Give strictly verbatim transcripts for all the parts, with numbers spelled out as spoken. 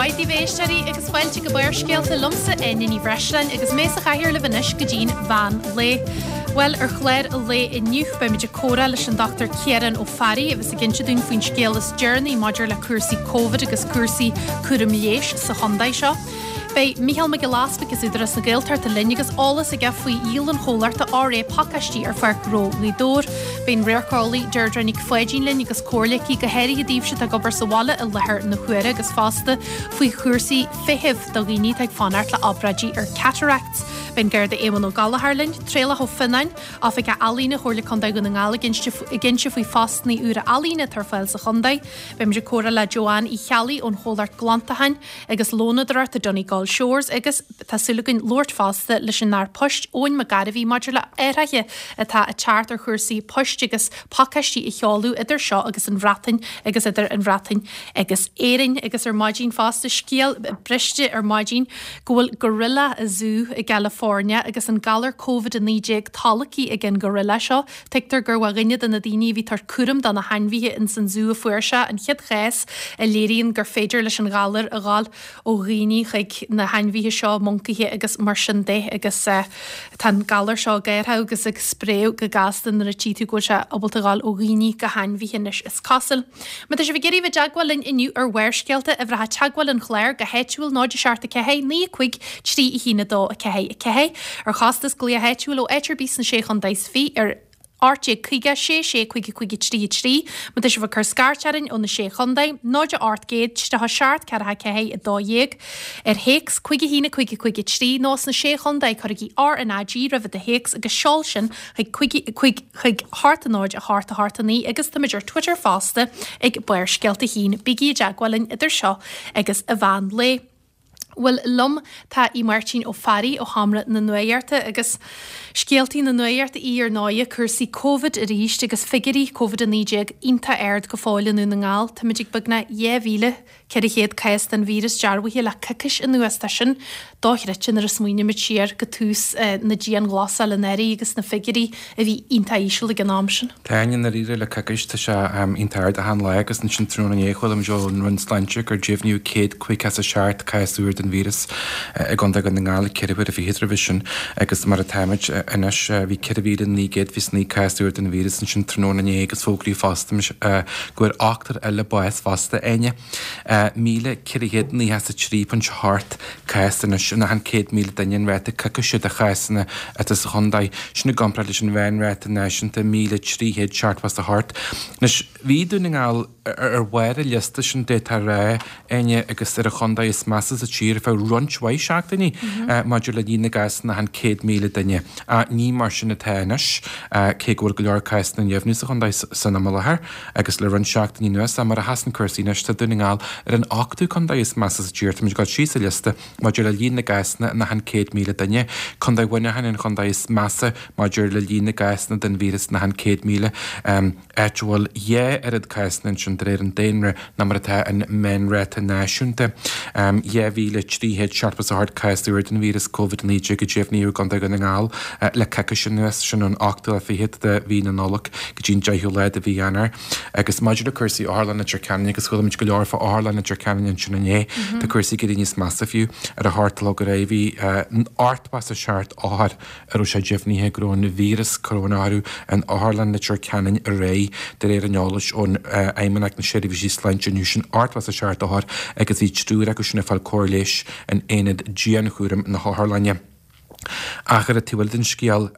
mhaith daoibh, a éisteoirí, agus fáilte go Barrscéalta liomsa, Áine Ní Bhreisleáin, agus mé sa chathaoir libh anois go dtí'n mheán lae. Bhuel, ar chlár an lae inniu beimid ag comhrá leis an Dochtúir Ciarán Ó Fearraigh a bheas ag inse dúinn faoin scéal is deireanaí maidir le cúrsaí Covid agus cúrsaí cúram leighis sa chontae seo. Beidh Mícheál Mac Giolla Easbuig as Údarás na Gaeltachta linn agus eolas aige faoi dhíol an chomhlachta R A pacáistí ar Pháirc Ghnó Ghaoth Dobhair. Beidh an radharceolaí Deirdre Nic Pháidín linn agus comhairle aici go háirithe daoibhse atá ag obair sa bhaile i láthair na huaire agus fosta faoi chúrsaí feithimh do dhaoine atá ag fanacht le obráidí ar cataracts. Beidh an Garda Éamonn Ó Gallchóir linn, Traolach Ó Fionnáin, Oifigeach Ealaíne Chomhairle Contae Dhún na nGall ag inse faoi phostanna úra ealaíne atá ar fáil sa chontae. Beimid ag comhrá le Joanne Uí Cheallaigh ón chomhlacht glantacháin agus lónadóireachta Donegal Shores agus tá súil againn labhairt fosta leis an Aire Poist Eoin Mac Gairbhí maidir le athruithe atá ag teacht ar chúrsaí poist agus pacáistí a sheoladh idir seo agus an Bhreatain agus idir an Bhreatain agus Éirinn. Agus ar maidin fosta, scéal briste ar maidin go bhfuil gorilla i zú i gCalifornia agus an galar Covid a naoi déag tolgtha ag an gorilla seo. Tuigtear gur dhuine de na daoine a bhí ag tabhairt cúram do na hainmhithe ins an zú a fuair sé an chéad chás a léiríonn gur féidir leis an ghalar a ghabháil ó dhaoine chuig na hainmhithe seo, moncaithe agus mar sin de, agus tá an galar seo ag athrú agus ag spréadh go gasta nuair a tchí tú go bhfuil sé ábalta a ghabháil ó dhaoine go hainmhithe anois is cosúil. Má tá sibh ag iarraidh bheith i dteagmháil linn inniu ar Bharrscéalta, uimhreacha teagmháil an chláir go háitiúil náid a seacht a ceathair naoi a cúig trí a haon a dó a ceathair a ceathair. Ar chostas glaoch áitiúil ó áit ar bith sna Sé Chontae is Fiche ar ocht déag caoga sé sé cúig cúig a trí a trí. Má tá sibh ag cur scairt orainn ó na Sé Chontae, náid a ocht gcéad tríocha seacht ceathracha ceathair a dó dhéag. Ar théacs cúig a haon a cúig a cúig a trí nó sna Sé Chontae cuirigí R N A G roimh do théacs agus seol sin chuig cúig cúig chuig hocht a náid a hocht a hocht a naoi agus táimid ar Twitter fosta ag Barrscéalta a haon. Bígí i dteagmháil linn idir seo agus an mheán lae. Bhuel, liom tá í Máirtín Ó Fearraigh ó Sheomra na Nuachta agus scéaltaí na nuachta í ar ndóighe, cúrsaí Covid arís agus figiúirí Covid a naoi déag iontach ard go fóill i nDún na nGall. Táimid ag beagnach dhá mhíle ceithre chéad cás den víreas dearbhaithe le coicís anuas. Tá sin dochreidte nuair a smaoinímid siar go tús na dianghlasála anuraidh agus na figiúirí a bhí iontach íseal ag an am sin. Tá i ndáiríre le coicís tá sé iontach ard achan lá agus ansin tráthnóna inné chuala muid ón Roinn Sláinte gur deimhníodh céad caoga is a seacht cás úr den víreas i gContae Dhún na nGall ceithre huaire fichead roimhe sin agus mar atáimid anois bhí ceithre mhíle naoi gcéad fiche naoi cás úr den víreas ansin tráthnóna inné agus fógraíodh fosta go bhfuair ochtar eile bás fosta, Áine. míle ceithre chéad nócha is a trí ponc hocht cás anois in achan céad míle duine an ráta coicíse de chásanna atá sa chontae. Sin i gcomparáid leis an mheánráta náisiúnta míle trí chéad seachtó is a hocht. Anois bhí Dún na nGall ar bharr an liosta sin d'fhéadfá a rá, Áine, agus ar an chontae is measa sa tír ar feadh roinnt mhaith seachtainí maidir le líon na gcásanna achan céad míle duine. Ach ní mar sin atá anois, cé go bhfuil go leor cásanna á ndeimhniú sa chontae san am i láthair agus le roinnt seachtainí anuas. Ach mar a sheasann cúrsaí anois, tá Dún na nGall ar an ochtú contae is measa sa tír. Táimid ag dul síos an liosta maidir le líon na gcásanna in achan céad míle duine. Contae Mhuineacháin an chontae is measa maidir le líon na gcásanna den víreas in achan céad míle, áit a bhfuil dhá oiread cásanna ansin de réir an daonra ná mar atá an meánráta náisiúnta. dhá mhíle trí chéad seachtó is a hocht cás úr den víreas Covid a naoi déag a deimhníodh i gContae Dhún na nGall le coicís anuas, sin ón ochtú lá fichead de mhí na Nollag go dtí an deichiú lá de mhí Eanáir. Agus maidir le cúrsaí Otharlann Leitir Ceanainn, agus chuala muid go leor fá Otharlann Leitir Ceanainn ansin inné, tá cúrsaí ag éirí níos measa fiú. Ar a hocht a chlog aréir bhí ochtó is a seacht othar a raibh sé deimhnithe go raibh an víreas coróna orthu in Otharlann Leitir Ceanainn aréir, de réir an eolais ón Fheidhmeannacht na Seirbhísí Sláinte inniu. Sin ochtó is a seacht othar agus bhí triúr acu sin ag fáil cóir leighis in aonad dianchúraim na hotharlainne. Ach ar an taobh eile den scéal,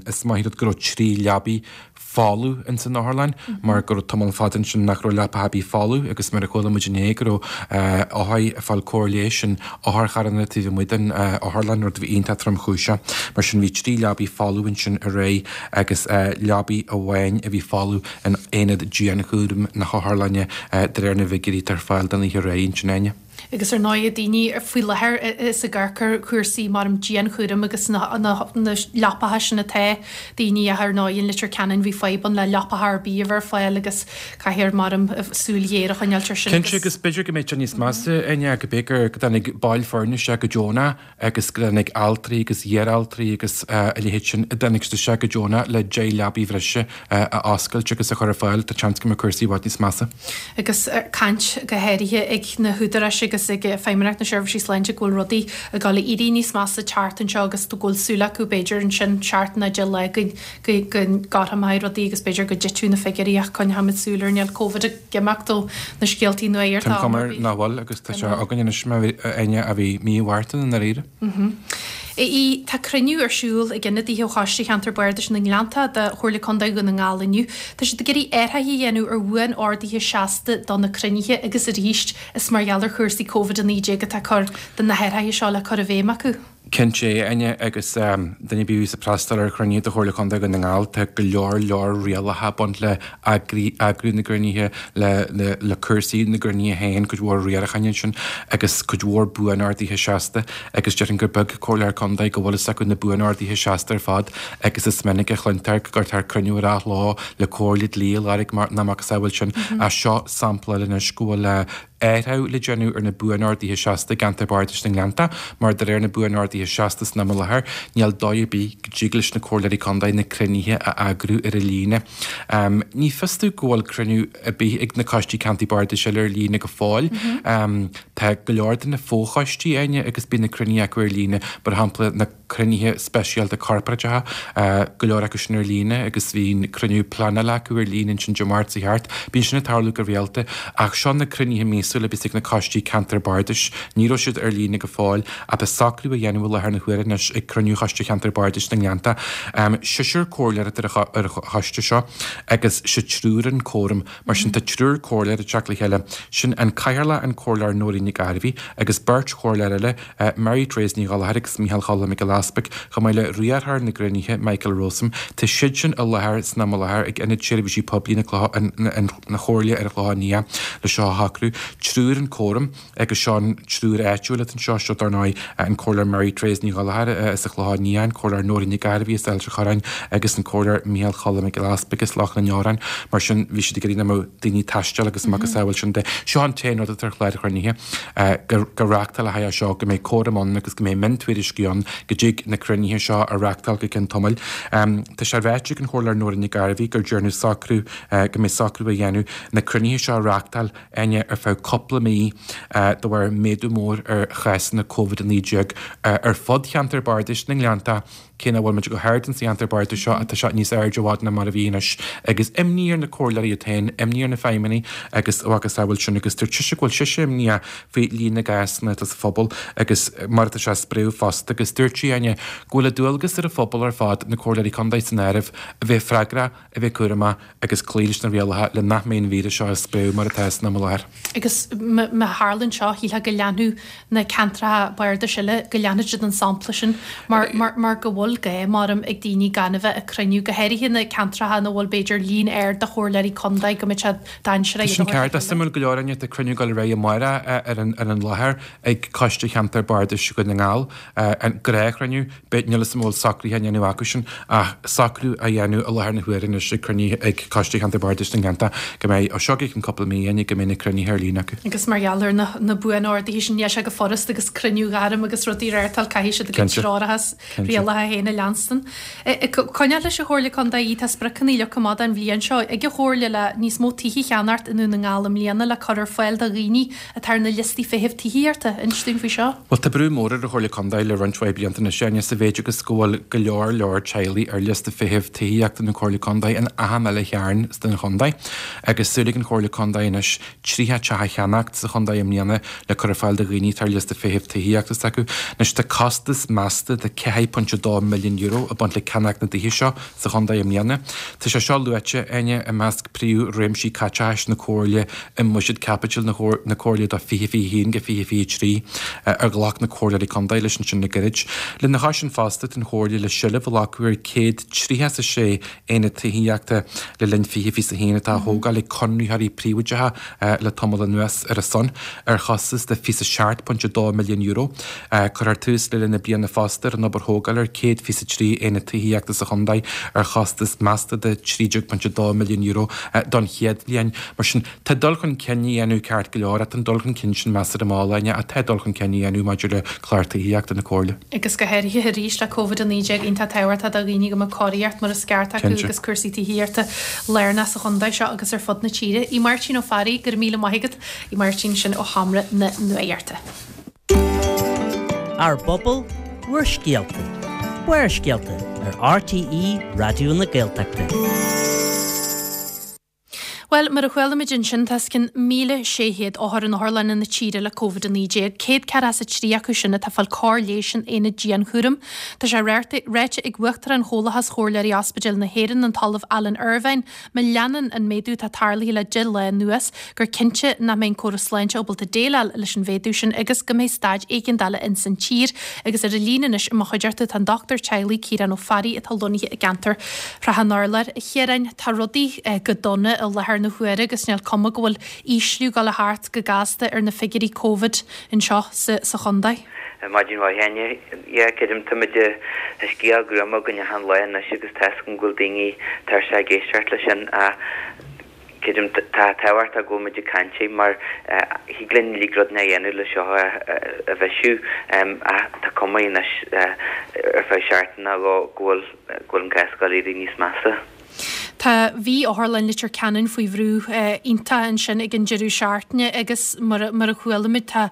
is maith an rud go raibh trí leabaidh folamh ins an otharlann mar go raibh tamall fada ansin nach raibh leapacha ar bith folamh agus mar a chuala muid inné go raibh othair ag fáil cóir leighis in otharcharranna taobh amuigh den otharlann, rud a bhí iontach tromchúiseach. Mar sin bhí trí leabaidh folamh ansin aréir agus leabaidh amháin a bhí folamh in aonad dianchúraim na hotharlainne de réir na bhfigiúirí atá ar fáil don oíche aréir ansin, Áine. Agus ar ndóigh daoine faoi láthair is ag amharc ar chúrsaí mar an dianchúram agus na leapacha sin atá daoine ach ar ndóigh in Leitir Ceanainn bhí fadhb ann le leapacha ar bith a bheith ar fáil agus caithfear mar súil ghéar a choinneáilt ar sin Cinnte agus b'fhéidir go mbeidh sé níos measa Áine go b'fhéidir go dtáinig baill foirne isteach go deonach agus go dtáinig altraí agus iar-altraí agus a leithéid sin a dtáinig siad isteach go deonach le deich leabaidh bhreise a oscailt agus a chur ar fáil, tá seans go mbeidh cúrsaí i bhfad níos measa. Agus caint go háirithe ag na húdaráis agus ag Feidhmeannacht na Seirbhísí Sláinte go bhfuil rudaí ag dul ag éirí níos measa teacht anseo agus go bhfuil súil acu b'fhéidir ansin seachtain nó deich lá go go gcothromaigh rudaí agus b'fhéidir go dtitfidh na figiúirí ach coinneoimid súil air níl Covid ag imeacht ó na scéaltaí nua ar Tá cumar nach bhfuil agus tá sé againn anois mar Áine a bhí mí Mhárta i ndáiríre. I tá cruinniú ar siúl ag ionadaithe ó Choiste Cheantar Bardais na nGleannta de Chomhairle Contae Dhún na nGall inniu. Tá siad ag iarraidh athruithe a dhéanamh ar bhuan-orduithe seasta do na cruinnithe agus arís is mar gheall ar chúrsaí Covid a naoi déag atá cur de na hathruithe seo le cur i bhfeidhm acu. Cinnte, Áine, agus duine ar bith a bhíos ag freastal ar chruinnithe de Chomhairle Contae Dhún na nGall, tá go leor leor rialacha ag baint le eagrú na gcruinnithe, le le cúrsaí na gcruinnithe féin, cuid mhór riaracháin ansin agus cuid mhór buanorduithe seasta agus déarfainn gur beag Comhairleoir Contae go bhfuil fhios acu na buanorduithe seasta ar fad agus is minic a chluintear go gcuirtear cruinniú ar athló le comhairle dlí a lorg mar ná macasamhail sin. Ach seo sampla eile anois go bhfuil athrú le déanamh ar na buanorduithe seasta i gceantar bardais na nGleannta, mar de réir na buanorduithe seasta san am i láthair, níl dóigh ar bith go dtig leis na comhairleoirí contae na cruinnithe a eagrú ar líne. Ní fios domh go bhfuil cruinniú ar bith ag na coistí ceantair bardais eile ar líne go fóill. Tá go leor de na fochoistí, Áine, agus bíonn na cruinnithe acu ar líne, mar shampla na cruinnithe speisialta corparáideacha, go leor acu sin ar líne agus bhí an cruinniú pleanála acu ar líne ansin Dé Máirt seo thart. Bíonn sin ag tarlú go rialta ach seo na cruinnithe míosúla a bíos ag na coistí ceantair bardais. Ní raibh siad ar líne go fóill ach tá socrú á dhéanamh i láthair na huaire anois ag cruinniú Choiste Cheantar Bardais na nGleannta. Seisear comhairleoir atá ar an choiste seo agus sé triúr an córam. Mar sin tá triúr comhairleoir ag teacht le chéile. Sin an Cathaoirleach an Comhairleoir Nóirín Nic Gairbhí agus beirt chomhairleoir eile, Mary Therese Ní Ghallchóir agus Micheál Choilm Mac Giolla Easpaig, chomh maith le riarthóir na gcruinnithe, Michael Rowsome. Tá siad sin i láthair san am i láthair ag Ionad Seirbhísí Poiblí na Comhairle ar an Chlochán Liath le seo a shocrú. Triúr an córam agus seo an triúr áitiúil atá anseo, seo dar ndóigh an Comhairleoir Mary Therese Ní Ghallchóir as an Chlochán Liath, an Comhairleoir Nóirín Nic Gairbhí as Ailt an Chorráin agus an Comhairleoir Micheál Choilm Mac Giolla Easpaig as Loch na nDeorán. Mar sin bhí siad ag iarraidh nach mbeadh daoine ag taisteal agus macasamhail sin de. Seo an t-aon rud atá ar chlár an chruinnithe, go reáchtálfaí é seo, go mbeidh córam ann agus go mbeidh miontuairiscí ann go dtig na cruinnithe seo a reáchtáil go ceann tamaill. Tá sé ráite ag an Chomhairleoir Nóirín Nic Gairbhí gur déanadh socrú, go mbeidh socrú á dhéanamh na cruinnithe seo a reáchtáil, Áine, ar feadh cúpla mí de bharr méadú mór ar chásanna Covid a naoi déag ar fud cheantar bardais na nGleannta. Cé nach bhfuil muid go hard insa cheantar bardais seo, tá sé níos airde i bhfad ná mar a bhí anois. Agus imní ar na comhairleoirí iad féin, imní ar na feidhmeannaigh agus a mhacasamhail sin. Agus dúirt sise go bhfuil sise imníoch faoi líon na gcásanna atá sa phobal agus mar atá sé ag spréadh fosta. Agus dúirt sí, Áine, go bhfuil an dualgas ar an phobal ar fad, na comhairleoirí contae san áireamh, a bheith freagrach, a bheith cúramach agus cloí leis na rialacha le nach mbeidh an víreas seo ag spréadh mar atá san am i láthair. Agus má tharlaíonn seo, shílfeá go leanfadh na ceantracha bardais eile, go leanfadh siad an sampla sin mar, mar, mar go bhfuil gá, maram, ag daoine gan a bheith ag cruinniú, go háirithe na ceantracha ina bhfuil b'fhéidir líon ard de chomhairleoirí contae, go mbeadh sé dainséarach iad a Sin ceart. Suimiúil go leor, Áine, tá cruinniú ag dul ar aghaidh amárach ar an, ar an láthair ag Coiste Cheantar Bardais Dhún na nGall, an gnáthchruinniú. Beidh, níl 'fhios a'm an bhfuil socruithe á ndéanamh acusan ach socrú á dhéanamh i láthair na huaire anois ag cruinniú ag Coiste Cheantar Bardais na nGleannta go mbeidh, ó seo go ceann cúpla mí, Áine, go mbeidh na cruinnithe ar líne acu. Agus mar gheall ar na, na buan-orduithe sin, níl sé chomh furast agus cruinniú a ghairm agus rudaí a reáchtáil, caithfidh siad a gcuid treoracha 's rialacha féin a leanstan. Ag coinneáil leis an Chomhairle Contae, tá spriocanna leagtha amach don bhliain seo ag an Chomhairle le níos mó tithe a cheannacht i nDún na nGall i mbliana le cur ar fáil do dhaoine atá ar na liostaí feithimh tithíochta. Inis dúinn faoi seo. Bhuel, tá brú mór ar an Chomhairle Contae le roinnt mhaith blianta anois, Áine, sa mhéid agus go bhfuil go leor leor teaghlaigh ar liosta feithimh tithíochta na Comhairle Contae in achan uile chearn den chontae agus súil ag an Chomhairle Contae anois tríocha teach a cheannacht sa chontae i mbliana le cur ar fáil do dhaoine atá ar liosta feithimh tithíochta s'acu. Anois tá costas measta de ceathair pointe dó milliún euro ag baint le ceannacht na dtithe seo sa chontae i mbliana. Tá sé seo luaite, Áine, i measc príomh-réimsí caiteachais na Comhairle i mBuiséad Caipitil na Comhairle do fiche fiche a haon go fiche fiche a trí ar ghlac na Comhairleoirí Contae leis ansin le gairid. Lena chois sin fosta, tá an Chomhairle le seilbh a ghlacadh ar céad tríocha is a sé aonad tithíochta le linn fiche fiche a haon atá á thógáil ag conraitheoirí príobháideacha le tamall anuas ar a son, ar chostas de fiche seacht pointe dó milliún euro. Cuirfear tús le linn na bliana fosta ar an obair thógáil ar céad céad fiche a trí aonad tithíochta sa chontae ar chostas measta de trí déag pointe a dó milliún euro don chéad bhliain. Mar sin, tá dul chun cinn á dhéanamh ceart go leor ach tá an dul chun cinn sin measartha mall againne ach tá dul chun cinn á dhéanamh maidir le clár tithíochta na Comhairle. Agus go háirithe arís le Covid a naoi déag iontach tábhachtach do dhaoine go mbeadh cóiríocht mar is ceart acu agus cúrsaí tithíochta lárnach sa chontae seo agus ar fud na tíre. A Mháirtín Ó Fearraigh, go raibh míle maith agat, a Mháirtín sin ó Sheomra na Nuachta. Ár bpobal, bhur scéalta. Barrscéalta ar R T E Raidió na Gaeltachta. Bhuel, mar a chuala muid ansin tá os cionn míle sé chéad othar in otharlanna na tíre le Covid a naoi déag, céad ceathracha is a trí acu sin atá ag fáil cóir leighis in aonad dianchúraim. Tá sé ráite ag Uachtarán Chomhlachas Chomhairleoirí Ospidéil na hÉireann, an tOllamh Alan Irvine, má leanann an méadú atá tarlaithe le deich lá anuas, gur cinnte nach mbeidh an córas sláinte ábalta déileáil leis an mhéadú sin agus go mbeidh staid éigeandála ins an tír. Agus ar an líne anois i mo chuideachta tá an dochtúir teaghlaigh Ciarán Ó Fearraigh atá lonnaithe i gceantar Shrath an Urláir. A Chiaráin, tá rudaí go dona i láthair na huaire agus níl cuma go bhfuil ísliú ag dul thart go gasta ar na figiúirí Covid anseo sa, sa chontae. Maidin mhaith, Áine. Yeah, creidim táimid tá scéal gruama againn achan lá anois agus tá go bhfuil daoine tuirseach ag éisteacht leis sin ach creidim tá tábhacht go bhfuil muid ag caint mar thig linn uilig rud a dhéanamh le seo a bhisiú ach tá cuma anois ar feadh seachtaine go bhfuil go bhfuil an cás ag éirí níos measa. Tá bhí Otharlann Leitir Ceanainn faoi bhrú iontach ansin ag an deireadh seachtaine agus mar mar a chuala muid tá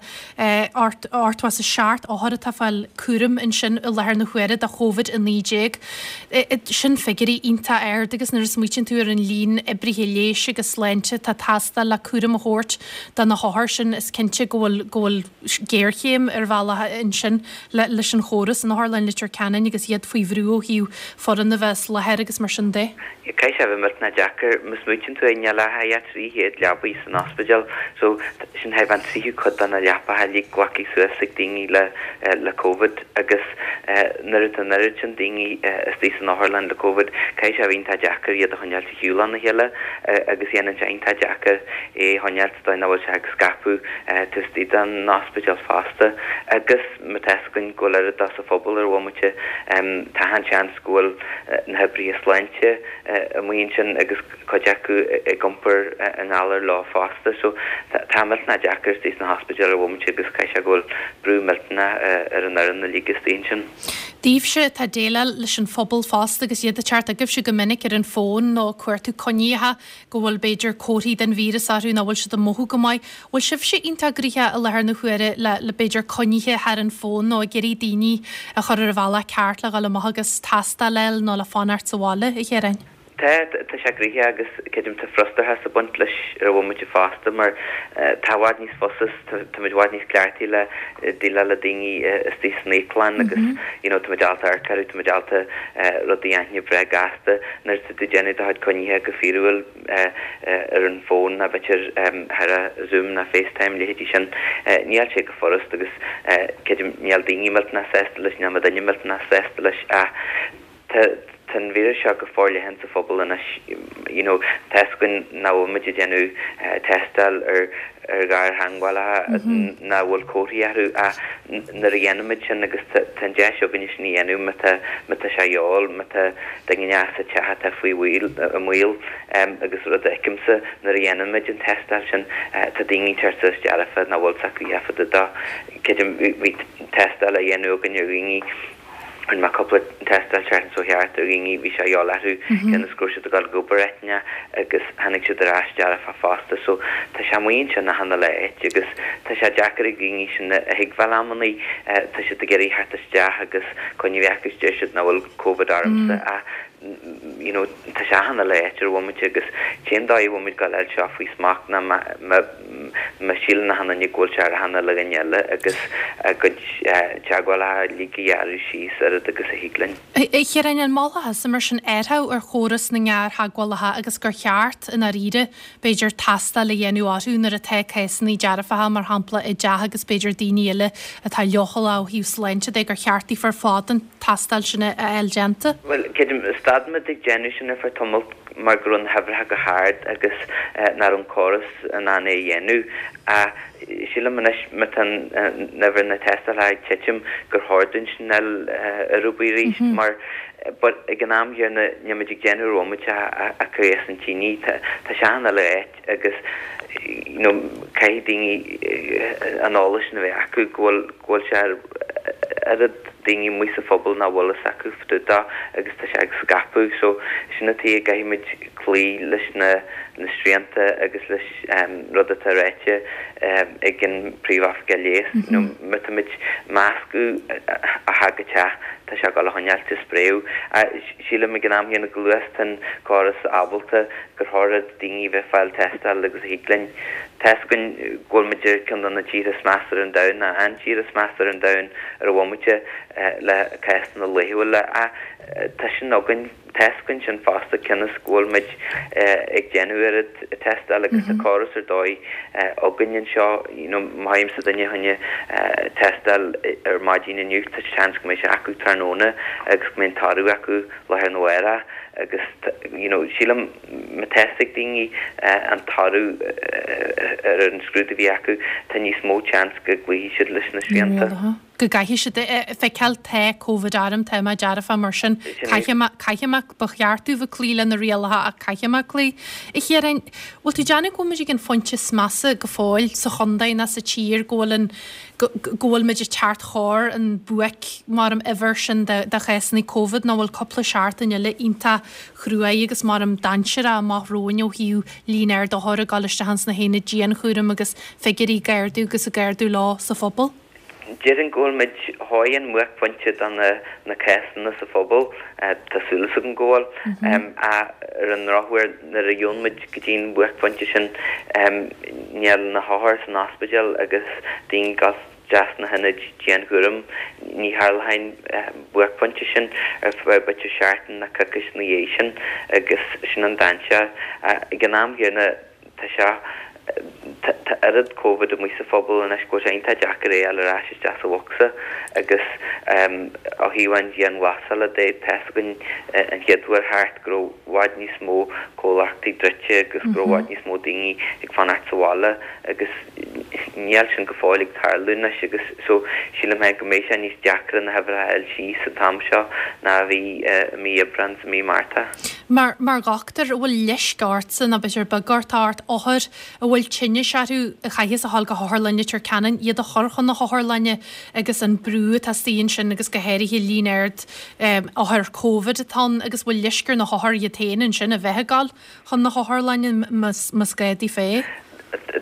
ochtó is a seacht othar atá ag fáil cúram ansin i láthair na huaire do Covid a naoi déag. Sin figiúirí iontach ard agus nuair a smaoitíonn tú ar an líon oibrithe leighis agus sláinte atá ag teastáil le cúram a thabhairt do na hothair sin is cinnte go bhfuil go bhfuil géarchéim ar bhealach ansin le leis an chóras in Otharlann Leitir Ceanainn agus iad faoi bhrú ó thaobh foireann a bheith láthair agus mar sin de. Caithfidh sé a bheith millteanach deacair má smaoitíonn tú níl ach trí chéad leapaí san ospidéal so sin é an tríú cuid de na leapacha uilig glactha suas ag daoine le le Covid agus nuair atá an oiread sin daoine istigh san otharlann le Covid caithfidh sé a bheith iontach deacair iad a choinneáil ar shiúl óna chéile agus dhéanann sé iontach deacair é a choinneáil dóigh nach bhfuil sé ag scaipeadh taobh den ospidéal fosta agus má tá againn go bhfuil oiread sa phobal ar bhomaite tá an seans go bhfuil na hoibrithe sláinte amuigh ansin agus cuid acu ag iompar an galar leo fosta so tá millteanach deacair istigh sna hospidéil ar bhomaite agus caithfidh sé go bhfuil brú millteanach ar an fhoireann uilig istigh ansin. Daoibhse atá ag déileáil leis an phobal fosta agus iad ag teacht chugaibhse go minic ar an bhfón nó cuartú coinníocha go bhfuil b'fhéidir comharthaí den víreas orthu nach bhfuil siad ag mothú go maith. Bhfuil sibhse iontach gnoitheach i láthair na huaire le le b'fhéidir coinnithe thar an bhfón nó ag iarraidh daoine a chur ar a bhealach ceart le dhul amach agus tástáil nó le fanacht sa bhaile a Chiaráin. Tá tá sé gnoitheach agus creidim tá frustrachas ag baint leis ar bhomaite fosta mar tá i bhfad níos fusa táimid i bhfad níos cleachtaí le déileáil le daoine istigh san íoclann agus you know táimid ábalta amharc orthu táimid ábalta rudaí a aithne breá gasta nuair atá tú déanamh do chuid coinnithe go fíorúil ar an bhfón ná b'fhéidir thar a Zoom ná FaceTime leithéidí sin níl sé go furast agus creidim níl daoine millteanach sásta leis níl duine millteanach sásta leis ach tá tá an víreas seo go forleathan sa phobal anois you know tá againn nach bhfuil muid ag déanamh tástáil ar ar ghartheagmhálaithe nach bhfuil comharthaí orthu ach nuair a dhéanaimid sin agus tá an deis againne sin a dhéanamh má tá má tá sé eol má tá duine sa teach atá faoi bhaol i mbaol agus rud a fheicimse nuair a dhéanaimid an tástáil sin tá daoine ag teacht suas dearfa nach bhfuil s'acu fá dtaobh dó creidim bhí tástáil a dhéanamh againn ar dhaoine Rinne mé cúpla tástáil seachtain seo thart ar dhaoine bhí sé eol orthu cionn is go raibh siad ag dul ag obair áiteanna agus tháinig siad ar ais dearfa fosta so tá sé amuigh ansin achan uile áit agus tá sé deacair ag daoine sin a thuigbheáil amannaí tá siad ag iarraidh theacht isteach agus coinne a bheith acu deir siad nach bhfuil Covid ormsa ach you know tá sé achan uile áit ar bhomaite agus cén dóigh a bhfuil muid ag dul seo faoi smacht ná má síleann achan duine go bhfuil sé ar achan uile dhuine eile agus a gcuid teagmhálacha uilig a ghearradh síos oiread agus a thig linn. A Chiaráin an molfá mar sin athrú ar chóras na ngartheagmhálacha agus gur cheart i ndáiríre b'fhéidir tástáil a dhéanamh orthu nuair atá cásanna dearfacha mar shampla i dteach agus b'fhéidir daoine eile atá leochaileach ó thaobh sláinte de gur cheart daofa ar fad an tástáil sin a fháil déanta. Well creidim stad muid ag déanamh sin ar feadh tamaill mar go raibh na huimhreacha go hard agus nach raibh an córas in ann é a dhéanamh ach Sílim anois má tá an uimhir na tástálacha ag titim gur chóir dúinn sin a fháil ar bith arís mar but ag an am chéanna níl muid ag déanamh ar bhomaite ach cur as an tine. Tá sé achan uile áit agus you know caithfidh daoine an eolas sin a bheith acu go bhfuil go bhfuil sé ar oiread daoine amuigh sa phobal nach bhfuil fhios acu fá dtaobh dó agus tá sé ag scaipeadh so sin an tuige a gcaithfidh muid cloí leis na na srianta agus leis rud atá ráite ag an Príomh-Oifigeach Leighis. You know má tá muid meascadh a theach go teach tá sé ag dul a choinneáilt ag spréadh. Sílim ag an am chéanna go luath is atá an córas ábalta gur chóir daoine bheith fáil tástáil agus a thig linn. Tá's againn go bhfuil muid ar ceann de na tíortha is measa ar an domhan, nó an tír is measa ar an domhan ar an bhomaite le cásanna laethúla ach tá sin againn, tá's againn sin fosta cionn is go bhfuil muid ag déanamh oiread tástáil agus tá córas ar dóigh againn anseo, you know má fhaighimse duine fá choinne tástáil ar maidin inniu tá seans go mbeidh sé acu tráthnóna agus go mbeidh an toradh acu lá arna mhárach agus you know sílim má tá's ag daoine an toradh ar an scrúdú a bhí acu tá níos mó seans go gcloífidh siad leis na srianta. go gcaithfidh siad feiceáil tá Covid orm, tá mé dearfa mar sin caithfidh mé, caithfidh mé, ba cheart domh bheith cloí le na rialacha ach caithfidh mé cloí. A Chiaráin, bhfuil tú ag déanamh go bhfuil muid ag an phointe is measa go fóill sa chontae ná sa tír go bhfuil an, go, go bhfuil muid ag teacht thar an buaic mar an uimhir sin de, de chásanna Covid nó bhfuil cúpla seachtain eile iontach chruaidh agus mar an dainséarach amach romhainn ó thaobh líon ard othar ag dul isteach ins na haonaid dianchúraim agus figiúirí ag ardú agus ag ardú leo sa phobal? Déarfainn go bhfuil muid thar an mbuaicphointe do na cásanna sa phobal, tá súil agam go bhfuil. Ach ar an ndrochuair, nuair a gheobhann muid go dtí an buaicphointe sin, níl na hothair san ospidéal agus daoine ag dul isteach sna hionaid dianchúraim, ní tharlóidh an buaicphointe sin ar feadh b'fhéidir seachtain nó coicís ina dhiaidh sin agus sin an dainséar. Ag an am chéanna, tá sé, tá oiread Covid amuigh sa phobal anois go bhfuil sé iontach deacair é a fháil ar ais isteach sa bhocsa agus ó thaobh an dianghlasála de, tá's againn an chéad uair thart go raibh i bhfad níos mó comhlachtaí druidte agus go raibh i bhfad níos mó daoine ag fanacht sa bhaile agus níl sin go fóill ag tarlú anois agus so sílim féin go mbeidh sé níos deacra na huimhreacha a fháil síos an t-am seo ná a bhí i mí Aibreán is i mí Márta. Mar mar dhochtúir, an bhfuil leisce ortsa nó b'fhéidir beag ort ort othair a bhfuil tinneas orthu a chaithfeas a dhul go hotharlann Leitir Ceanainn, iad a chur chun na hotharlainne agus an brú atá istigh ansin agus go háirithe líon ard othair Covid atá ann agus bhfuil leisce ar na hothair iad féin ansin a bheith ag dul chun na hotharlainne más gá daofa é?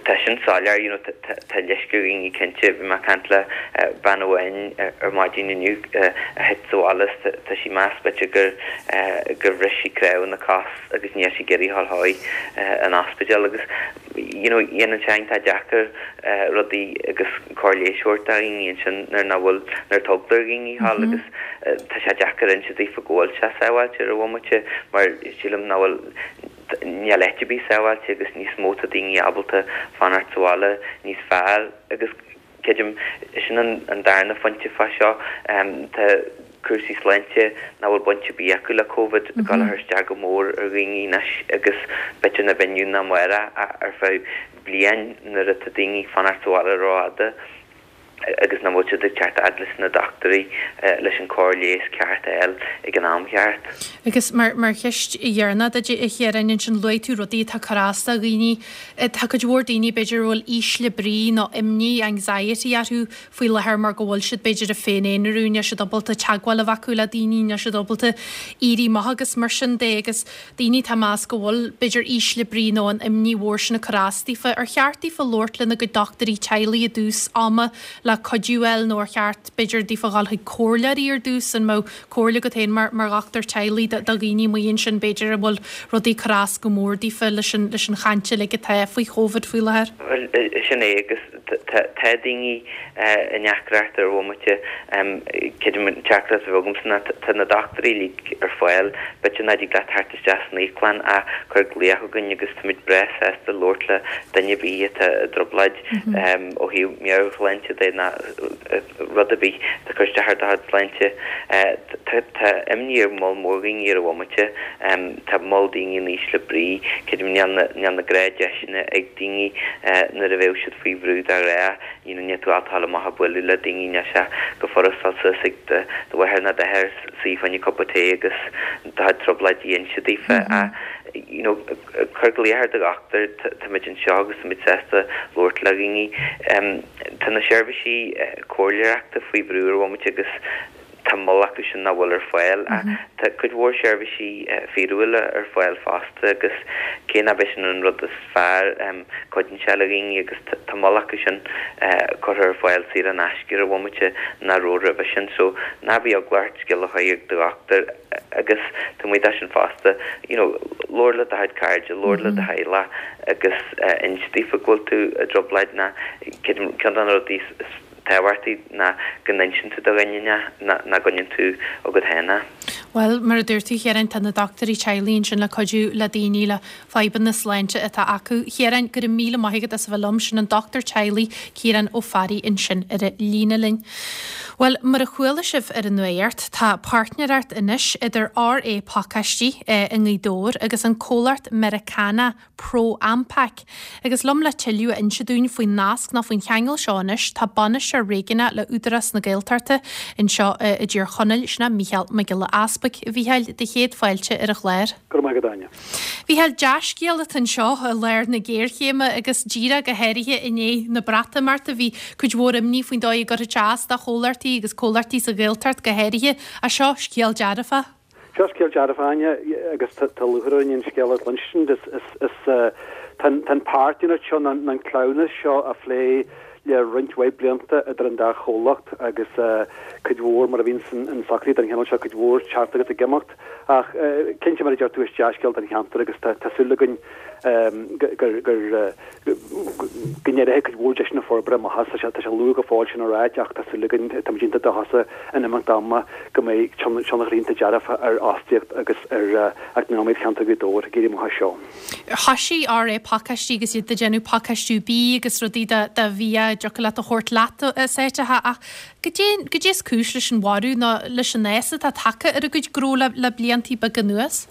Tá sin soiléir, you know, tá leisce ar dhaoine cinnte. Bhí mé ag caint le bean amháin ar maidin inniu a thit sa bhaile is tá sí ag meas b'fhéidir gur gur bhris sí cnámh ina cos agus níl sí ag iarraidh a dhul chuig an ospidéal agus you know dhéanann sé iontach deacair rudaí agus cóir leighis a thabhairt do dhaoine ansin nuair nach bhfuil nuair tá eagla ar dhaoine a dhul agus tá sé deacair inse daofa go bhfuil sé sábháilte ar an bhomaite mar sílim nach bhfuil níl áit ar bith sábháilte agus níos mó tá daoine ábalta fanacht sa bhaile níos fearr agus creidim sin an darna phointe fá seo tá cúrsaí sláinte nach bhfuil baint ar bith acu le Covid ag dul a chur isteach go mór ar dhaoine anois agus b'fhéidir nach inniu ná amárach ach ar feadh bliain nuair atá daoine ag fanacht sa bhaile rófhada. agus nach bhfuil siad ag teacht fhad leis na dochtúirí leis an cóir leighis ceart a fháil ag an am cheart. Agus mar mar cheist dheireanach duit, a Chiaráin, ansin luaigh tú rudaí atá ag cur as do dhaoine. Tá cuid mhór daoine b'fhéidir a bhfuil ísle brí nó imní, anxiety, orthu faoi láthair mar go bhfuil siad b'fhéidir ag féin-aonarú, níl siad ábalta teagmháil a bheith acu le daoine, níl siad ábalta éirí amach agus mar sin de agus daoine atá ag meas go bhfuil b'fhéidir ísle brí nó an imní mhór sin ag cur as daofa, ar cheart daofa labhairt lena gcuid dochtúirí teaghlaigh i dtús ama le cuidiú a fháil nó ar cheart, b'fhéidir, daofa dhul chuig comhairleoirí ar dtús? An mbeadh comhairle agat féin mar mar dhochtúir teaghlaigh do dhaoine amuigh ansin, b'fhéidir, a bhfuil rudaí ag cur as go mór daofa leis an leis an chaint uilig atá faoi Chóvid faoi láthair? Bhuel, sin é agus tá daoine i ndeacracht ar bhomaite. Creidim an teachtaireacht a bheadh agamsa ná tá na dochtúirí uilig ar fáil, b'fhéidir nach dtig leat theacht isteach san íoclann ach cuir glaoch chugainn agus táimid breá sásta labhairt le duine ar bith atá i dtrioblóid ó thaobh meabhairshláinte de ná rud ar bith atá ag cur isteach ar do chuid sláinte. Tá imní ar moll mór dhaoine ar an bhomaite. Tá moll daoine in ísle brí. Creidim níl na gnáthdheiseanna ag daoine nuair a bheadh siad faoi bhrú de ghnáth, you know, níl tú ábalta a ghabháil amach ag bualadh le daoine, níl sé go furast dul suas ag do mháthair nó d'athair suí fá choinne cupa tae agus do chuid trioblóidí a inse daofa ach, you know, cuir glaoch ar do dhochtúir, táimid anseo agus táimid sásta labhairt le dhaoine. Tá na seirbhísí comhairleoireachta faoi bhrú ar bhomaite agus tá moll acu sin nach bhfuil ar fáil ach tá cuid mhór seirbhísí fíorúla ar fáil fosta agus cé nach b'é sin an rud is fearr, cuidíonn sé le dhaoine agus tá moll acu sin curtha ar fáil saor in aisce ar an bhomaite nach raibh roimhe sin. So ná bíodh eagla ort scéal a chur ag do dhochtúir agus taobh amuigh de sin fosta, you know, labhair le do chuid cairde, labhair le do theaghlach agus inis daofa go bhfuil tú i dtrioblóid ná ceann de na rudaí is tábhachtaí ná go n-insíonn tú do dhuine é, nach gcoinníonn tú agat féin é. Bhuel, mar a dúirt tú, a Chiaráin, tá na dochtúirí teaghlaigh ansin le cuidiú le daoine le fadhbanna sláinte atá acu. A Chiaráin, go raibh míle maith agat as a bheith liom. Sin an dochtúir teaghlaigh, Ciarán Ó Fearraigh ansin ar an líne linn. Bhuel, mar a chuala sibh ar an nuacht, tá páirtnéireacht anois idir RA Pacáistí i nGaoth Dobhair agus an comhlacht Meiriceánach ProAmpac. Agus liom le tuilleadh a inse dúinn faoin nasc nó faoin cheangal seo anois, tá Bainisteoir Réigiúnach le Údarás na Gaeltachta anseo i dTír Chonaill, sin é Mícheál Mac Giolla Easpaig. A Mhícheáil, do chéad fáilte ar an chlár. Go raibh maith agat, Áine. A Mhícheáil, dea-scéal atá anseo i lár na géarchéime agus díreach go háirithe i ndiaidh na Breatimeachta bhí cuid mhór imní faoin dóigh a gcuirfeadh sé as do chomhlachtaí agus comhlachtaí sa Ghaeltacht go háirithe. Ach seo scéal dearfach. Seo scéal dearfach, Áine, agus tá lúcháir orainn an scéal a chluinstin. Is tá an páirtnéireacht seo, nó an cleamhnas seo á phlé le roinnt mhaith blianta idir an dá chomhlacht agus cuid mhór, mar a bhíonn in socruithe den chineál seo, cuid mhór teacht agus ag imeacht. Ach cinnte, mar a deir tú, is dea-scéal don cheantar agus tá súil againn gur go n-éireoidh cuid mhór deiseanna forbartha amach as. Tá sé luath go fóill sin a ráit ach tá súil againn, táimid iontach dóchasach in imeacht ama go mbeidh tionchar iontach dearfach ar fhostaíocht agus ar eacnamaíocht cheantar Ghaoth Dobhair ag éirí amach as seo. Thoisigh RA Pacáistí agus iad ag déanamh pacáistiú bídh agus rudaí do bhia a dtiocfadh leat a thabhairt leat as áiteacha ach goidé goidé is cúis leis an bhorradh nó leis an fhás atá tagtha ar a gcuid gnó le le bliantaí beaga anuas?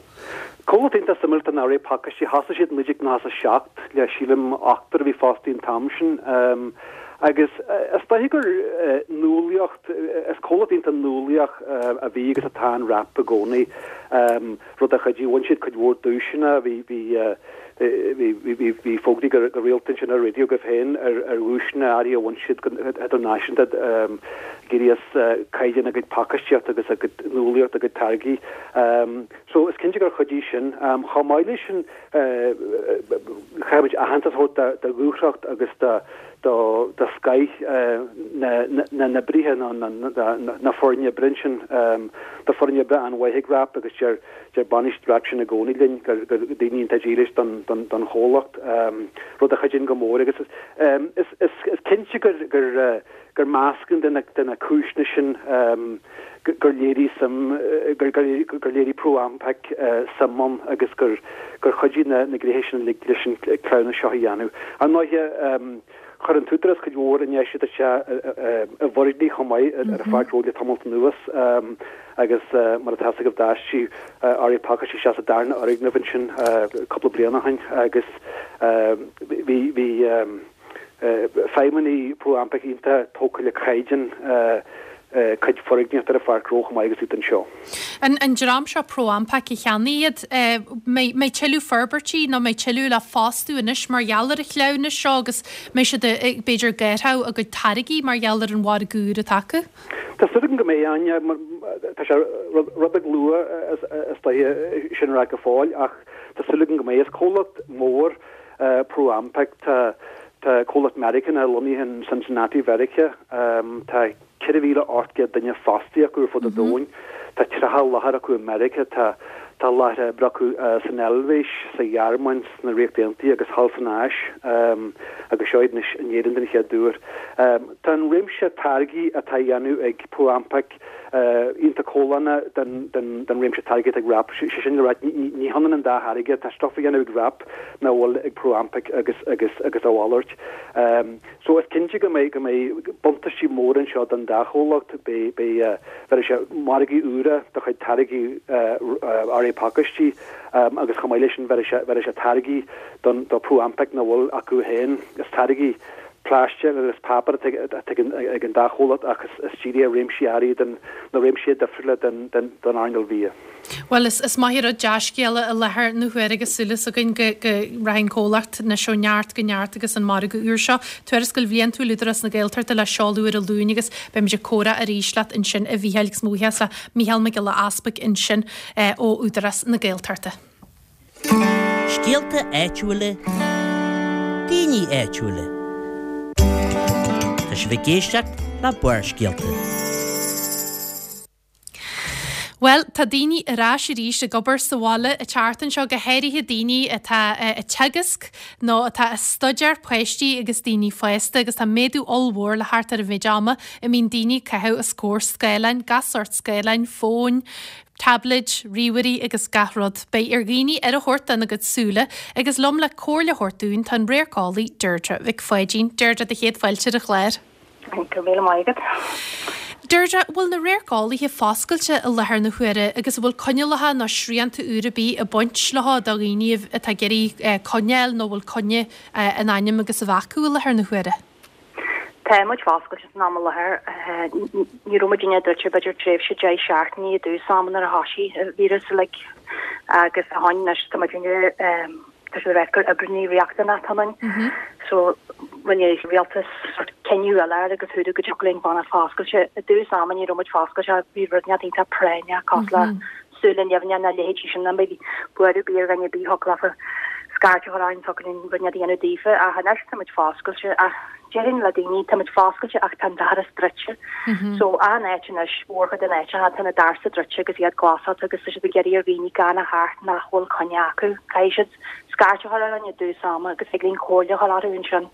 Comhlacht iontach suimiúil atá in RA Pacáistí. Thosaigh siad in naoi déag nócha a seacht le sílim ochtar a bhí fostaithe an t-am sin agus is dóiche gur nuálaíocht, is comhlacht iontach nuálaíoch a bhí agus atá in wrap i gcónaí, rud a chuidigh, bhain siad cuid mhór duaiseanna, bhí, bhí, bhí, bhí fógraí go rialta ansin ar an raidió agaibh féin ar dhuaiseanna áirithe a bhain siad go hidirnáisiúnta ag éirí as caighdeán a gcuid pacáistíochta agus a gcuid nuálaíocht, a gcuid táirgí. So is cinnte gur chuidigh sin. Chomh maith leis sin, caithfimid aitheantas a thabhairt do dhúthracht agus do scoith na n-oibrithe, na foirne oibre ansin. Tá foireann oibre an-mhaith ag wrap agus deir deir bainisteoir wrap sin i gcónaí linn gur daoine iontach dílis don chomhlacht, rud a chuidíonn go mór agus is cinnte gur gur meascán de na cúiseanna sin gur léirigh suim, gur léirigh ProAmpac suim ann agus gur chuidigh na gnéithe sin uilig leis an cleamhnas seo a dhéanamh. Ar ndóighe, chuir an tÚdarás cuid mhór infheistíocht isteach i bhfoirgnimh chomh maith ar an Pháirc Ghnó le tamalt anuas agus mar atá a fhios agaibh d'aistrigh RA Pacáistí isteach sa darna fhoirgneamh ansin cúpla bliain ó shin agus bhí bhí feidhmeannaigh ProAmpac iontach tógtha le caighdeán cuid foirgníochta ar an Pháirc Ghnó chomh maith agus iad anseo. An dream seo ProAmpac a cheannaigh iad, mbeidh tuilleadh forbairtí nó mbeidh tuilleadh le fostú anois mar gheall ar an chleamhnas seo agus mbeidh siad ag b'fhéidir ag athrú a gcuid táirgí mar gheall ar an mhargadh úr atá acu? Tá súil agam go mbeidh, Áine, mar tá sé rud beag luath is dóiche sin a rá go fóill ach tá súil agam go mbeidh. Is comhlacht mór ProAmpac, tá Tá comhlacht Meiriceánach lonnaithe in Cincinnati, Mheiriceá. Tá ceithre mhíle ocht gcéad duine fostaithe acu ar fud an domhain. Tá tríocha láthair acu i Meiriceá. Tá tá láthair oibre acu san Eilvéis, sa Ghearmáin, sna Ríocht Aontaithe agus thall san Áis agus seo iad anois in Éirinn den chéad uair. Tá an réimse táirgí atá á dhéanamh ag ProAmpac iontach comhlánach den réimse táirgí atá ag wrap. Sé sin le rá, ní hionann an dá tháirge. Tá stuif á dhéanamh ag wrap nach bhfuil ag ProAmpac agus agus agus a mhalairt. So is cinnte go mbeidh go mbeidh buntáistí móra anseo don dá chomhlacht. Beidh beidh bheirfidh sé margaí úra do chuid táirgí RA Pacáistí agus chomh maith leis sin bheirfidh sé bheirfidh sé táirgí don do ProAmpac nach bhfuil acu féin. Is táirgí Plaisteach agus páipéar atá ag an dá chomhlacht ach is dírithe ar réimsí áirithe den na réimsí difriúla den den den earnáil bhia. Bhuel is is maith rud dea-scéala i láthair na huaire agus súil againn go go rachaidh an comhlacht anois ó neart go neart agus an margadh úr seo. Tuarascáil bhliantúil Údarás na Gaeltachta le seoladh ar an Luan agus beimid ag comhrá arís leat ansin a Mhícheáil agus mo bhuíochas le Mícheál Mac Giolla Easpaig ansin ó Údarás na Gaeltachta. Scéalta áitiúla, daoine áitiúla. Tá sibh ag éisteacht le Barrscéalta. Bhuel, tá daoine ar ais arís ag obair sa bhaile an tseachtain seo go háirithe daoine atá ag teagasc nó atá ag staidéar páistí agus daoine fásta agus tá méadú ollmhór le thart ar an mhéid ama a mbíonn daoine ag caitheamh os comhair scáileáin, gach sórt scáileáin, fóin, tablaid, ríomhairí agus gach rud. Beidh ar dhaoine aire a thabhairt dona gcuid súile agus liom le comhairle a thabhairt dúinn tá an radharceolaí Deirdre Mhic Pháidín. Deirdre do chéad fáilte ar an chlár. Go raibh míle maith agat. Deirdre, bhfuil na radharceolaithe foscailte i láthair na huaire agus bhfuil coinníollacha nó srianta úr ar bith ag baint leo do dhaoine atá ag iarraidh coinne nó bhfuil coinne in ainm agus a bheith acu i láthair na huaire? Tá muid foscailte san am i láthair ní raibh muid druidte b'fhéidir tréimhse deich seachtainí i dtús ama nuair a thosaigh an víreas like, agus a tháinig anois tá muid tá sé rá gur oibreanna riachtanach ann. So rinne rialtas sort cinneadh eile agus thuú go dtiocfadh linn fanacht foscailte i dtús ama ní raibh muid foscailte bhí rud iontach práinneach cosúil le súile nimhne na leithéidí sin na bhí buaireamh ar bith ar bith thiocfadh leofa scairt a chur orainn thiocfadh linn rud a dhéanamh daofa ach anois tá muid foscailte ach déarfainn le daoine tá muid foscailte ach tá an doras druidte. So an áit anois mórchuid den áit tá na doirse druidte agus iad glasáilte agus tá siad ag iarraidh ar dhaoine gan a theacht nach bhfuil coinne acu. Caithfidh siad scairt a chur orainn i dtús ama agus ag linn comhairle a chur orthu ansin.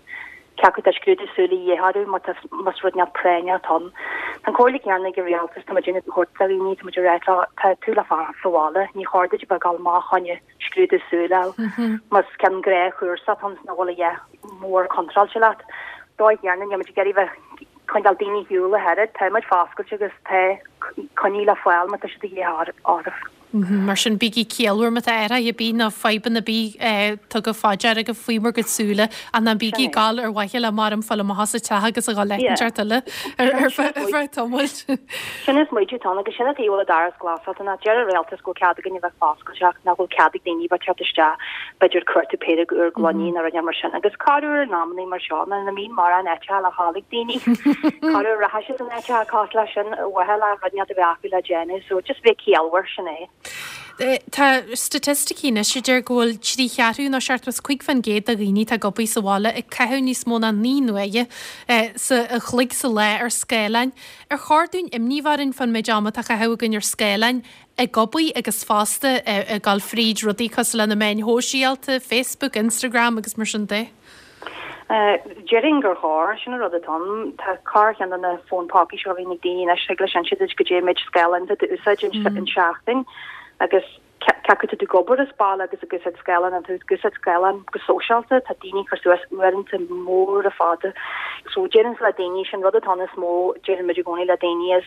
Cé acu tá scrúdú súl a dhíth orthu má tá más rud neamh práinneach ann. An comhairle céanna ag an rialtas tá muid ag thabhairt do dhaoine tá muid ag rá tá tú le fanacht sa bhaile ní chóir duit a bheith ag dul amach chun scrúdú súl a fháil. Más ceann gnáthchúrsa atá ann nach bhfuil a dhath mór contráilte leat. Dóigh chéanna níl muid ag iarraidh bheith coinneáil daoine ar shiúl a oiread, tá muid foscailte agus tá coinní le fáil má tá siad a dhíth orthu. Mar sin bígí ciallmhar má tá athruithe ar bith nó fadhbanna ar bith tugtha faoi deara agaibh faoi bhur gcuid súile ach ná bígí ag gabháil ar mhaithe le mar fáil amach as an teach agus a dhul leiteart eile ar feadh tamaill. Sin is muidiú tá agus sin a bhfuil an doras glasáilte ná deir an rialtas go cead againn a bheith foscailte ach nach bhfuil cead ag daoine bheith teacht isteach b'fhéidir cuartú péire úr gloiní nó rud mar sin agus corruair in amanna mar seo na na mín mar an eite le hálaigh daoine corruair rachaidh siad an eite cás leis sin bhfuil le rud a bheith acu le déanamh so just bheith ciallmhar sin é. Tá staitisticí anois a deir go bhfuil trí cheathrú nó seachtó is cúig faoin gcéad de dhaoine atá ag obair sa bhaile ag caitheamh níos mó ná naoi n-uaire sa a chloig sa lá ar scáileáin. Ar chóir dúinn imní a bheith orainn fán méid ama atá á chaitheamh againn ar scáileáin ag obair agus fosta ag dul fríd rudaí cosúil le na meáin shóisialta, Facebook, Instagram agus mar sin de? Déarfainn gur chóir sin an rud atá ann. Tá corrcheann de na fón pócaí seo a bhíonn ag daoine anois thig leis inse duit goidé méid scáileáin atá tú úsáid an seachtain agus cé acu tá tú ag obair as baile agus ag úsáid scáileán tú ag úsáid scáileán go sóisialta tá daoine ag cur suas uaireanta móra fada. So déarfainn le daoine sin rud atá is mó déarfainn muid i gcónaí le daoine is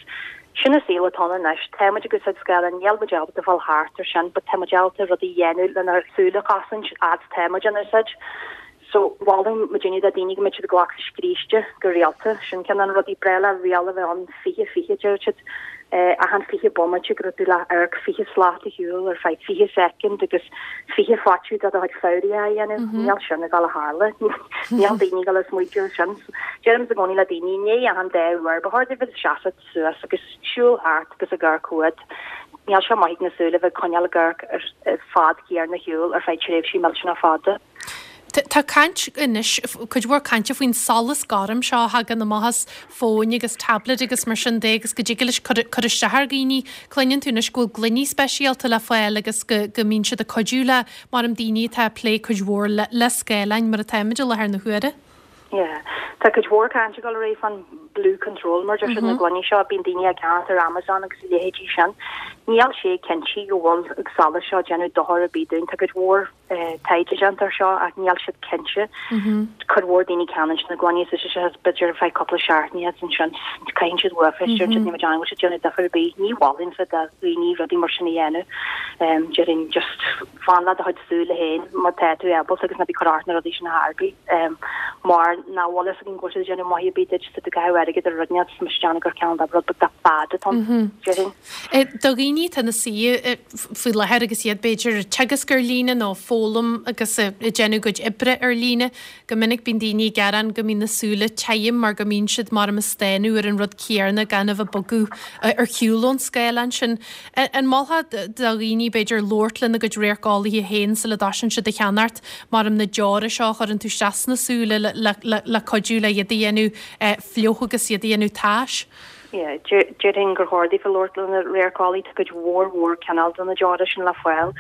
sin an saol atá ann anois tá muid ag úsáid scáileán níl muid ábalta fáil thart ar sin, but tá muid ábalta rudaí a dhéanamh lenár súile a chosaint fhad tá muid in úsáid. So mholfainn muidinne do daoine go mbeidh siad ag glacadh scríste go rialta sin ceann de na rudaí breá le riail a bheith ann fiche fiche deir siad achan fiche bomaite go raibh tú le amharc fiche slat ar shiúl ar feadh fiche soicind agus fiche faiteadh do do chuid fabhraí a dhéanamh. Níl sin ag dul a tharla. Níl daoine ag dul a smaointiú air sin. Deirimse i gcónaí le daoine i ndiaidh achan dá uair ba chóir duit bheith ag seasamh suas agus siúl thart agus ag amharc chugat. Níl sé maith ag na súile bheith ag coinneáil ag amharc ar fad céanna ar shiúl ar feadh tréimhsí millteanach fada. Tá caint anois cuid mhór cainte faoin solas gorm seo a thagann amach as fóin agus tablet agus mar sin de agus go dtig leis cur cur isteach ar dhaoine. Cluineann tú anois go bhfuil gloiní speisialta le fáil agus go go mbíonn siad ag cuidiú le mar am daoine atá ag plé cuid mhór le le scáileáin mar atáimid i láthair na huaire. Yeah. Tá cuid mhór cainte ag dul ar aghaidh fan blue control mar deir siad na gloiní seo bíonn daoine ag ceannach ar Amazon agus a leithéidí sin. Níl sé cinnte go bhfuil an solas seo ag déanamh dochar ar bith dúinn. Tá cuid mhór taighde déanta air seo ach níl siad cinnte. Cuid mhór daoine ceannaíonn na gloiní is sé b'fhéidir ar feadh cúpla seachtaine ansin caitheann siad uafa is deir siad níl muid ann go bhfuil siad déanamh difear ar bith. Ní mholfainnse do dhaoine rudaí mar sin a dhéanamh. Déarfainn just fan le do chuid súile féin má tá tú ábalta agus ná bí ag cur ort na rudaí sin ar bith. Mar nach bhfuil fhios againn go bhfuil siad ag déanamh maith ar bith duit, tá tú ag caitheamh airgid ar rud inteacht is mise ag déanamh gur ceann de rud beag de fad atá ann, déarfainn. Do dhaoine atá ina suí faoi láthair agus iad b'fhéidir ag teagasc ar líne nó ag foghlaim agus ag déanamh a gcuid oibre ar líne, go minic bíonn daoine ag gearán go mbíonn na súile tirim mar go mbíonn siad mar ag stánadh ar an rud céanna gan a bheith ag bogadh ar shiúl ón scáileán sin. An molfá do dhaoine b'fhéidir labhairt lena gcuid radharceolaithe féin sula dtosaíonn siad ag ceannacht mar na deora seo a chuireann tú isteach sna súile le cuidiú le iad a dhéanamh fliuch agus iad a dhéanamh tais? Yeah, déarfainn gur chóir daofa labhairt lena radharceolaí, tá cuid mhór mhór cineál de na deora sin le fáil.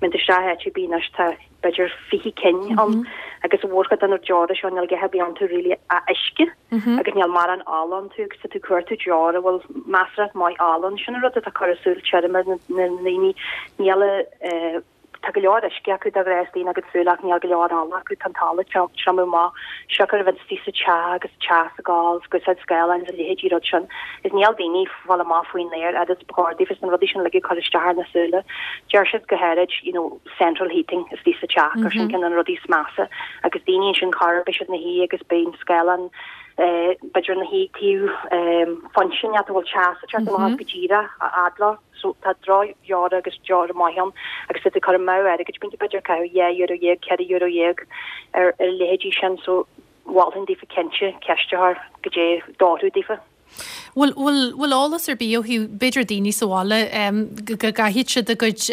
Má bhíonn tú isteach áit ar bith anois tá b'fhéidir fiche cinn ann agus mórchuid de na deora seo níl a dhath ar bith iontu really ach uisce agus níl mórán ola iontu agus tá tú ag cuartú deora a bhfuil measartha maith ola ann. Sin an rud atá ag cur an súil tirim ar na ndaoine. Níl a Tá go leor uisce acu de ghnáth istigh ina gcuid súl ach níl go leor ola acu, tá an t-ola ag triomú amach, siocair a bheith istigh sa teach agus teas ag gabháil is ag úsáid scáileáin is a leithéidí rud sin. Is níl daoine ag fáil amach faoin aer fhad is ba chóir daofa is na rudaí sin uilig ag cur isteach ar na súile. Deir siad go háirid you know central heating istigh sa teach gur sin ceann de na rudaí is measa agus daoine ansin chor ar bith siad ina shuí agus beidh an scáileán eh b'fhéidir ina shuí taobh eh foinse inteacht a bhfuil teas ag teacht amach as go díreach a fhad leo. So tá droch-dheora agus deora maith ann agus tá tú ag cur amú airgid, bíonn tú b'fhéidir ag caitheamh dhá euro dhéag, ceithre euro dhéag ar ar a leithéidí sin so mholfainn daofa cinnte ceist a chur goidé d'oirfeadh daofa. Bhfuil bhfuil bhfuil eolas ar bith ó thaobh b'fhéidir daoine sa bhaile go go gcaithfidh siad a gcuid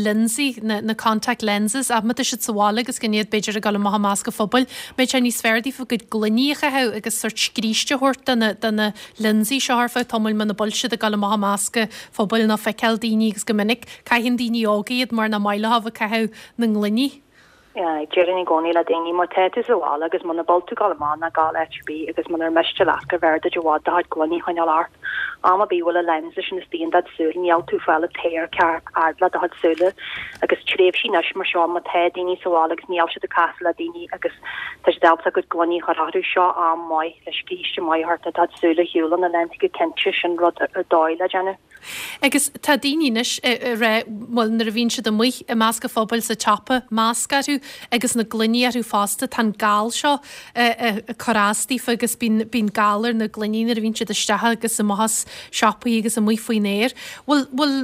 lionsaí, na na contact lenses ach má tá siad sa bhaile agus gan iad b'fhéidir ag dul amach i measc an phobail, mbeidh sé níos fearr daofa a gcuid gloiní a chaitheamh agus sórt scríste a thabhairt do na do na lionsaí seo ar feadh tamaill muna bhfuil siad ag dul amach i measc an phobail nó feiceáil daoine agus go minic caitheann daoine óga iad mar nach maith leo a bheith ag caitheamh na ngloiní. Déarfainn i gcónaí le daoine, má tá tú sa bhaile agus muna bhfuil tú ag dul amach ná gabh áit ar bith agus munar miste leat gur bhfearr duit i bhfad do chuid gloiní a choinneáil ort. Am ar bith a bhfuil an lens sin istigh in do súil níl tú ag fáil an t-aer ceart fhad le do chuid súile agus tréimhsí anois mar seo má tá daoine sa bhaile agus níl siad ag casadh le daoine agus tá siad ábalta a gcuid gloiní a chur orthu, seo am maith le scríste maith a thabhairt do do chuid súile ar shiúl ó na lionsaí go cinnte sin rud ar dóigh le déanamh. Agus tá daoine anois ag rá, bhuel nuair a bhíonn siad amuigh i measc an phobail sa tsiopa, masc orthu agus na gloiní orthu fosta, tá an gal seo ag cur as daofa agus bíonn, bíonn gal ar na gloiní nuair a bhíonn siad isteach agus amach as siopaí agus amuigh faoin aer. Bhfuil, bhfuil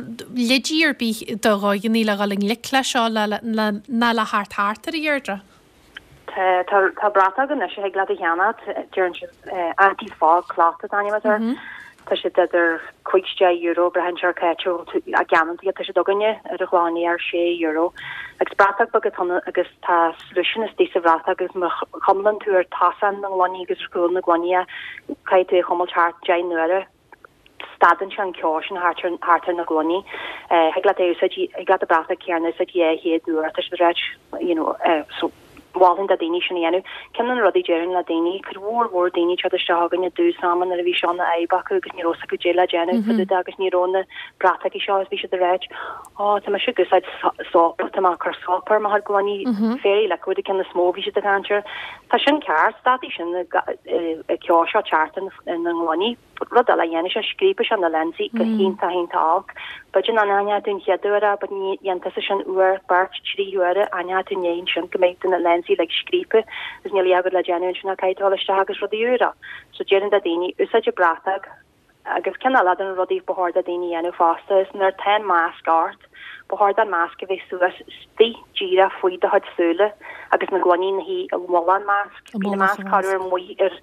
leidí ar bith do dhaoine le dhul i ngleic leis seo le, le, ná le theacht thart air, a Dheirdre? Tá, tá, tá bratóg anois a thig leat a cheannacht, deireann siad anti-fog cloth an t-ainm atá air. Tá siad idir cúig is deich euro, braitheann sé ar cá háit a bhfuil tú á gceannacht iad, tá siad againne ar an Chlochán Liath ar sé euro. Agus bratóg beag atá ann agus tá solution istigh sa bhratóg agus má chuimleann tú ar tosach na ngloiní agus ar chúl na ngloiní é, caithfidh tú é a chuimilt thart deich n-uaire. Stadann sé an ceo sin thart ar thart ar na gloiní. Thig leat é a úsáid, thig leat an bratóg céanna a úsáid dhá chéad uair, tá siad ag ráit, you know, so mholfainn do daoine sin a dhéanamh. Ceann de na rudaí déarfainn le daoine, cuid mhór mhór daoine ag teacht isteach chugainn i dtús ama nuair a bhí seo ina fhadhb acu agus ní raibh fhios acu goidé le déanamh fá dtaobh de agus ní raibh na bratachaí seo agus bhí siad ag ráit, Ó, tá mise ag úsáid sópa, tá mé ag cur sópa ar mo chuid gloiní, Fairy liquid an ceann is mó a bhí siad ag caint air. Tá sin ceart, stadfaidh sin an ceo seo teacht ar na gloiní. Rud eile a dhéanfaidh sé, scríobfaidh sé na lionsaí go hiontach iontach olc. B'fhéidir nach n-aithneoidh tú an chéad uair é, but ní dhéanfaidh tusa sin uair, beirt, trí huaire, aithneoidh tú i ndiaidh ansin go mbeidh na lionsaí uilig scríobtha agus níl a fhios agat le déanamh ansin ach caithfidh tú dul isteach agus rudaí úra. So déarfainn do daoine, úsáid an bratóg. Agus ceann eile de na rudaí ba chóir do daoine a dhéanamh fosta is nuair atá an masc ort, ba chóir don masc a bheith suas istigh díreach faoi do chuid súile agus na gloiní ina shuí i mullach an masc. Bíonn an masc corruair amuigh ar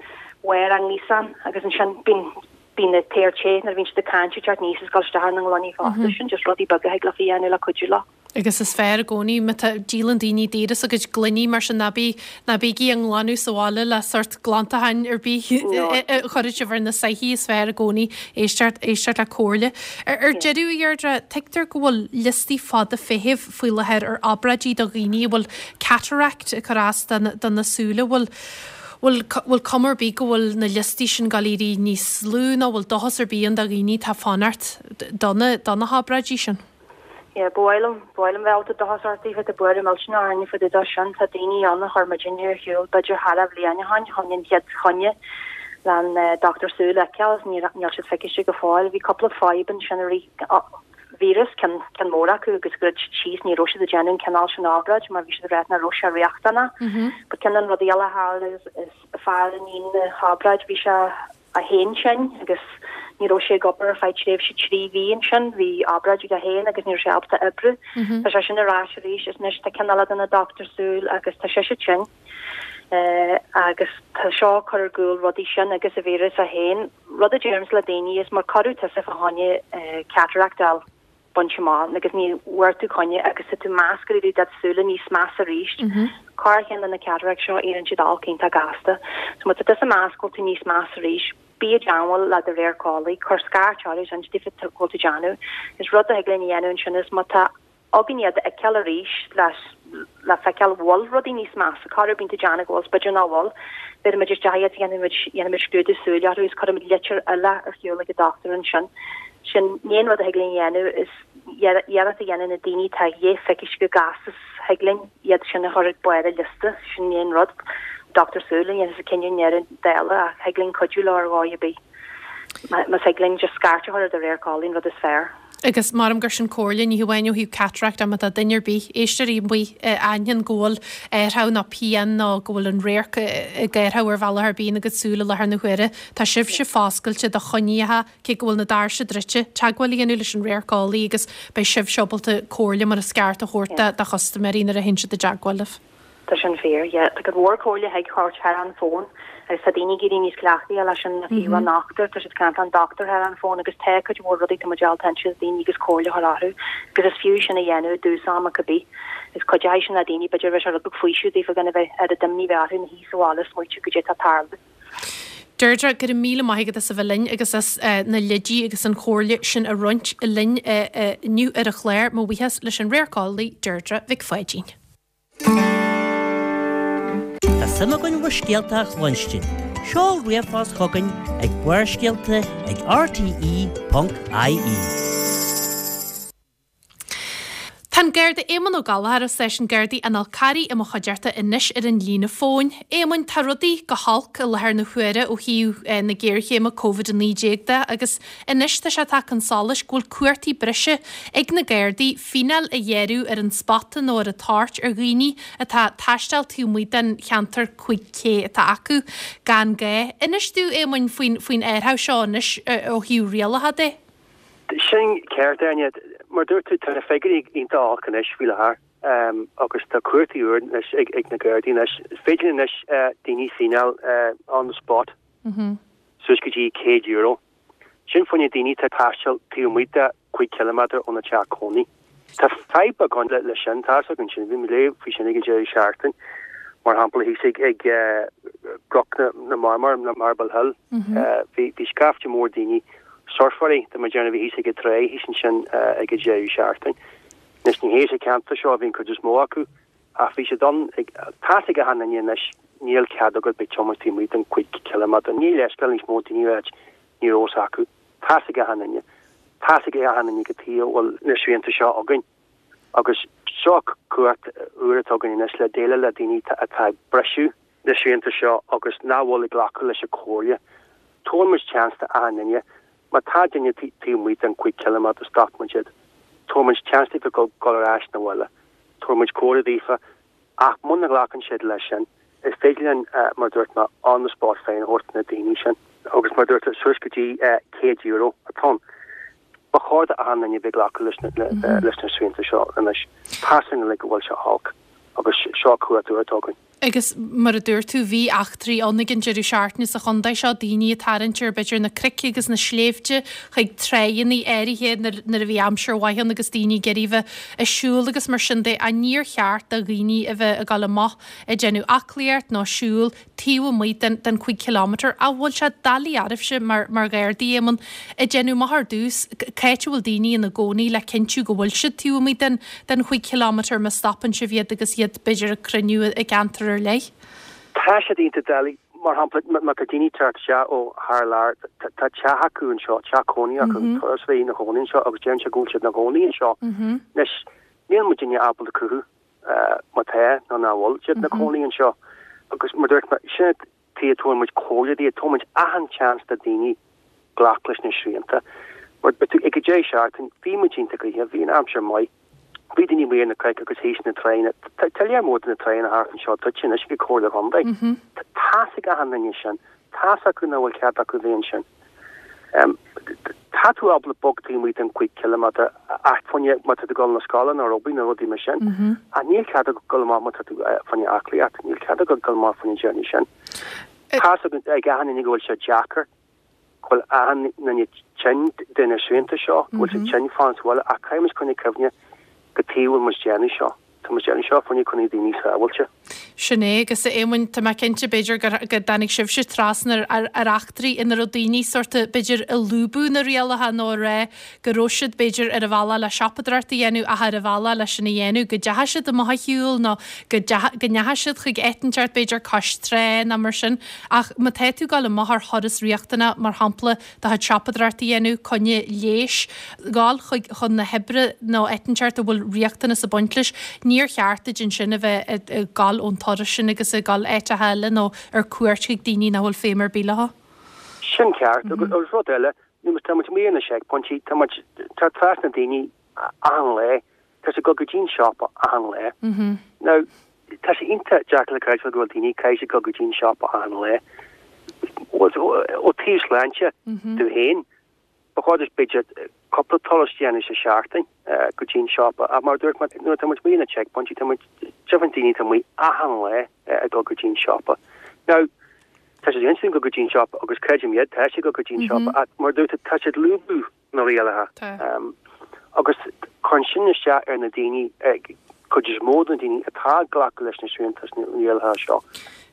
bharr an ngríosáin agus ansin bíonn bíonn an t-aer te nuair a bhíonn siad ag caint ag teacht aníos is ag dul isteach ar na ngloiní fosta. Sin just rudaí beaga a thig leofa a dhéanamh le cuidiú leo. Agus is fearr i gcónaí má tá, díolann daoine daor as a gcuid gloiní mar sin ná bí, ná bígí á nglanadh sa bhaile le sórt glantacháin ar bith a chuirfidh sibh ar na soithí, is fearr i gcónaí éisteacht, éisteacht le comhairle. Ar, ar deireadh, a Dheirdre, tuigtear go bhfuil liostaí fada feithimh faoi láthair ar obráidí do dhaoine a bhfuil cataract ag cur as do na, do na súile, bhfuil, bhfuil, bhfuil cuma ar bith go bhfuil na liostaí sin ag dul éirí níos lú nó bhfuil dóchas ar bith ann do dhaoine atá ag fanacht do na, do na hobráidí sin? Yeah, ba mhaith liom, ba mhaith liom bheith ábalta dóchas a thabhairt daoibh, tá buaireamh millteanach orainne fá dtaobh de sin. Tá daoine ann a chuir muidinne ar shiúl b'fhéidir thar a bhliain ó shin chun an chéad choinne le an dochtúir súl a fheiceáil agus níl, níl siad feiciste go fóill. Bhí cúpla fadhb ansin i rith víreas ceann ceann mór acu agus dhruid siad síos ní raibh siad ag déanamh an cineál sin obráid mar bhí siad ag rá nach raibh sé riachtanach. But ceann de na rudaí eile a tharla is is fear i ndiaidh na hobráid bhí sé é féin tinn agus ní raibh sé ag obair ar feadh tréimhse trí mhí ansin bhí obráid aige féin agus ní raibh sé ábalta oibriú. Tá sé sin ar ais arís is anois tá ceann eile de na dochtúir súl agus tá sise tinn. Uh, agus tá seo ag cur ar gcúl rudaí sin agus a víreas é féin. Rud a deirimse le daoine is má cuireadh tusa fá choinne uh, cataract a baint amach agus ní bhfuair tú coinne agus tá tú meas go raibh do súile níos measa arís. Corrcheann de na cataract seo éiríonn siad olc iontach gasta. So má tá tusa meas go bhfuil tú níos measa arís, bí i dteagmháil le do radharceolaí, cuir scairt orthu sin daofa go bhfuil tú déanamh. Is rud a thig linn a dhéanamh ansin is má tá againn iad a fheiceáil arís le le feiceáil bhfuil rudaí níos measa, corruair bíonn tú déanamh go bhfuil, b'fhéidir nach bhfuil. Bheirimid isteach iad dhéanaimid dhéanaimid scrúdú súile orthu is cuirimid litir eile ar shiúl ag an dochtúir ansin. Sin an aon rud a thig linn a dhéanamh is iarracht a dhéanamh na daoine atá dhé feicis go gasta thig linn iad sin a chur ag barr an liosta, sin an aon rud. Dochtúir súl a dhéanann an cinneadh i ndeireadh dála ach thig linn cuidiú leo ar dhóigh ar bith. Má thig linn just scairt a chur ar do radharceolaí an rud is fearr. Agus maram gur sin comhairle ní hamháin ó thaobh cataract má tá duine ar bith éisteoirí amuigh aithníonn go bhfuil athrú ná pian nó go bhfuil an radharc ag athrú ar bhealach ar bith ina gcuid súl i láthair na huaire. Tá sibhse foscailte do choinníocha cé go bhfuil na doirse druidte teagmháil a dhéanamh leis an radharceolaí agus beidh sibhse ábalta comhairle mar is ceart a thabhairt do chustaiméirí nuair a théann siad i dteagmháil libh. Tá sin fíor, yeah. Tá go mhór comhairle thig thabhairt thar an fón agus tá daoine ag éirí níos cleachtaithe leis an fiú an dochtúir, tá siad caint an dochtúir thar an fón agus tá cuid mhór rudaí tá muid ábalta inse daoine agus comhairle a chur orthu agus is fiú sin a dhéanamh i dtús ama cibé. Is cuideoidh sin le daoine b'fhéidir bheith sé rud beag faoiseamh daofa gan a bheith ar a d'imní bheith orthu ina shuí sa bhaile smaoitiú goidé atá ag tarlú. Deirdre go raibh míle maith agat as a bheith linn agus as na leidí agus an chomhairle sin a roinnt linn inniu ar an chlár mo bhuíochas leis an radharceolaí Deirdre Mhic Pháidín. Tá suim againn bhur scéalta a chluinstin. Seol ríomhphost chugainn ag Barrscéalta ag rte.ie. Tá an Garda Éamonn Ó Gallchóir ó Stáisiún Gardaí an Fhál Carraigh i mo chuideachta anois ar an líne fóin. Éamonn tá rudaí go holc i láthair na huaire ó thaobh na géarchéime Covid a naoi déag de agus anois tá sé tagtha chun solais go bhfuil cumhachtaí breise ag na Gardaí fíneáil a ghearradh ar an spota nó ar an toirt ar dhaoine atá ag taisteal taobh amuigh den cheantar cúig K atá acu gan gá. Inis dúinn Éamonn faoin faoin athrú seo anois ó thaobh rialacha de. Sin ceart Áine, mar dúirt tú tá na figiúirí iontach olc anois faoi láthair um, agus tá cumhachtaí úr anois ag, ag na Gardaí anois. Is féidir anois uh, daoine fíneáil uh, on the spot Mm -hmm. suas go dtí céad euro. Sin fá choinne daoine atá ag taisteal taobh amuigh de cúig kilometre óna teach cónaí. Tá fadhb againn le, le sin tá againn sin bhí mé faoi sin ag deireadh seachtain mar shampla thíos ag ag uh, gCnoc na, na Marmar na Marble Hill. Mm -hmm. uh, bhí bhí scaifte mór daoine surfáirí de mar déanamh bhí thíos ag an trá thíos ansin uh, ag an deireadh seachtain. Anois ní hé sa ceantar seo a bhíonn cuid is mó acu ach bhí siad ann ag tá ag achan duine anois níl cead agat bheith tiomáint taobh amuigh den cúig kilometre. Ní leithscéal níos mó daoine áit ní rós acu. Tá ag achan duine. Tá ag achan duine go tí bhfuil na srianta seo againn. Agus seo cumhacht úr atá againn anois le déileáil le daoine atá ag briseadh na srianta seo agus nach bhfuil ag glacadh leis an chomhairle. Tugann muid seans do achan duine, má tá duine taobh amuigh den cúig kilometre stop muid iad. Tugann muid seans daofa go go ar ais na bhaile. Tugann muid comhairle daofa ach muna nglacann siad leis sin. Is féidir linn uh, mar dúirt mé on the spot fine a thabhairt na daoine sin. Agus mar dúirt suas go dtí uh, céad euro atá ann. Ba chóir do achan duine bheith glacadh leis na mm leis na srianta seo anois. Tá sin le go bhfuil sé olc agus seo cumhacht úr atá againn. Agus mar a dúirt tú bhí eachtraí ann ag an deireadh seachtaine sa chontae seo daoine ag tarraingt ar b'fhéidir na cnoic agus na sléibhte chuig tráigheanna áirithe nuair a bhí aimsir mhaith ann agus daoine ag iarraidh bheith ag siúl agus mar sin de a níor cheart do dhaoine a bheith ag dul amach ag déanamh aclaíocht nó siúl taobh amuigh den den cúig kilometre a bhfuil sé doiligh oraibhse mar mar Ghardaí Éamonn ag déanamh amach ar dtús cá háit a bhfuil daoine ina gcónaí le cinntiú go bhfuil siad taobh amuigh den den chúig kilometre má stopann sibh iad agus iad b'fhéidir ag cruinniú i gceantar ar leith. Tá sé iontach doiligh mar shampla má tá daoine teacht isteach ó thar lear tá teach acu anseo teach cónaí acu turas bheith ina gcónaí anseo agus deireann sé go bhfuil siad ina gcónaí anseo. Anois níl muid duine ábalta cruthú má tá nó nach bhfuil siad ina gcónaí anseo agus mar dúirt mé sin tí tugann muid comhairle daofa tugann muid achan chance do daoine glacadh leis na srianta. Mar ag an deireadh seachtaine, bhí muid iontach gnoitheach, bhí an aimsir maith, bhí daoine amuigh ar na cnoic agus thíos na tránna. Tá lear mór de na tránna thart anseo druidte anois ag an Chomhairle Chontae. Tá's ag achan duine sin, tá's acu nach bhfuil cead acu bheith ansin. Tá tú ábalta bog taobh amuigh den cúig ciliméadar ach fá choinne má tá tú ag dul na scoile nó ar obair nó rudaí mar sin. Ach níl cead agat dul amach má tá tú fá choinne aclaíocht, níl cead agat dul amach fá choinne déanamh sin. Tá's ag achan duine go bhfuil sé deacair, go bhfuil achan duine tinn de na srianta seo, go bhfuil sé tinn fanacht sa bhaile ach caithfidh muid coinneáil cuimhne cad chuige a bhfuil muid déanamh seo. Tá muid déanamh seo fá choinne coinneáil daoine sábháilte. Sin é, agus a Éamoinn, tá mé cinnte, b'fhéidir, gur, go dtáinig sibhse trasna ar, ar eachtraí ina raibh daoine sórt, b'fhéidir, ag lúbadh na rialacha nó ag rá go raibh siad, b'fhéidir, ar a bhealach le siopadóireacht a dhéanamh ach ar a bhealach leis sin a dhéanamh, go dteachaigh siad amach ar shiúl nó go dteachaigh, go ndeachaigh siad chuig áit inteacht, b'fhéidir, cois trá nó mar sin. Ach má tá tú ag dul amach ar thuras riachtanach, mar shampla, do chuid siopadóireacht a dhéanamh, coinne leighis, dhul chuig, chun na hoibre nó áit inteacht a bhfuil riachtanas ag baint leis, níor cheart duit ansin a bheith ag dul ón turas sin agus ag dul áiteacha eile nó ar cuairt chuig daoine nach bhfuil feidhm ar bith leo. Sin ceart. Agus rud eile, nuair tá muid amuigh ar na seicphointí, tá muid, tá trasna daoine achan lá, tá siad ag dul go dtí an siopa achan lá. Now, tá sé iontach deacair le creidbheáil go bhfuil daoine, caithfidh siad dul go dtí an siopa achan lá. Ó taobh sláinte dóibh féin, ba chóir duit b'fhéidir cúpla turas a dhéanamh sa seachtain go dtí an siopa ach mar a dúirt mé, nuair atá muid amuigh ar na checkpointí, tá muid, deimhin daoine atá amuigh achan lá ag dul go dtí an siopa. Now, tá siad ansin ag dul go dtí an siopa agus creidim iad, tá siad ag dul go dtí an siopa ach mar a dúirt tú, tá siad ag lúbadh na rialacha agus cuireann sin isteach ar na daoine, cuid is mó de na daoine atá ag glacadh leis na srianta is na rialacha seo,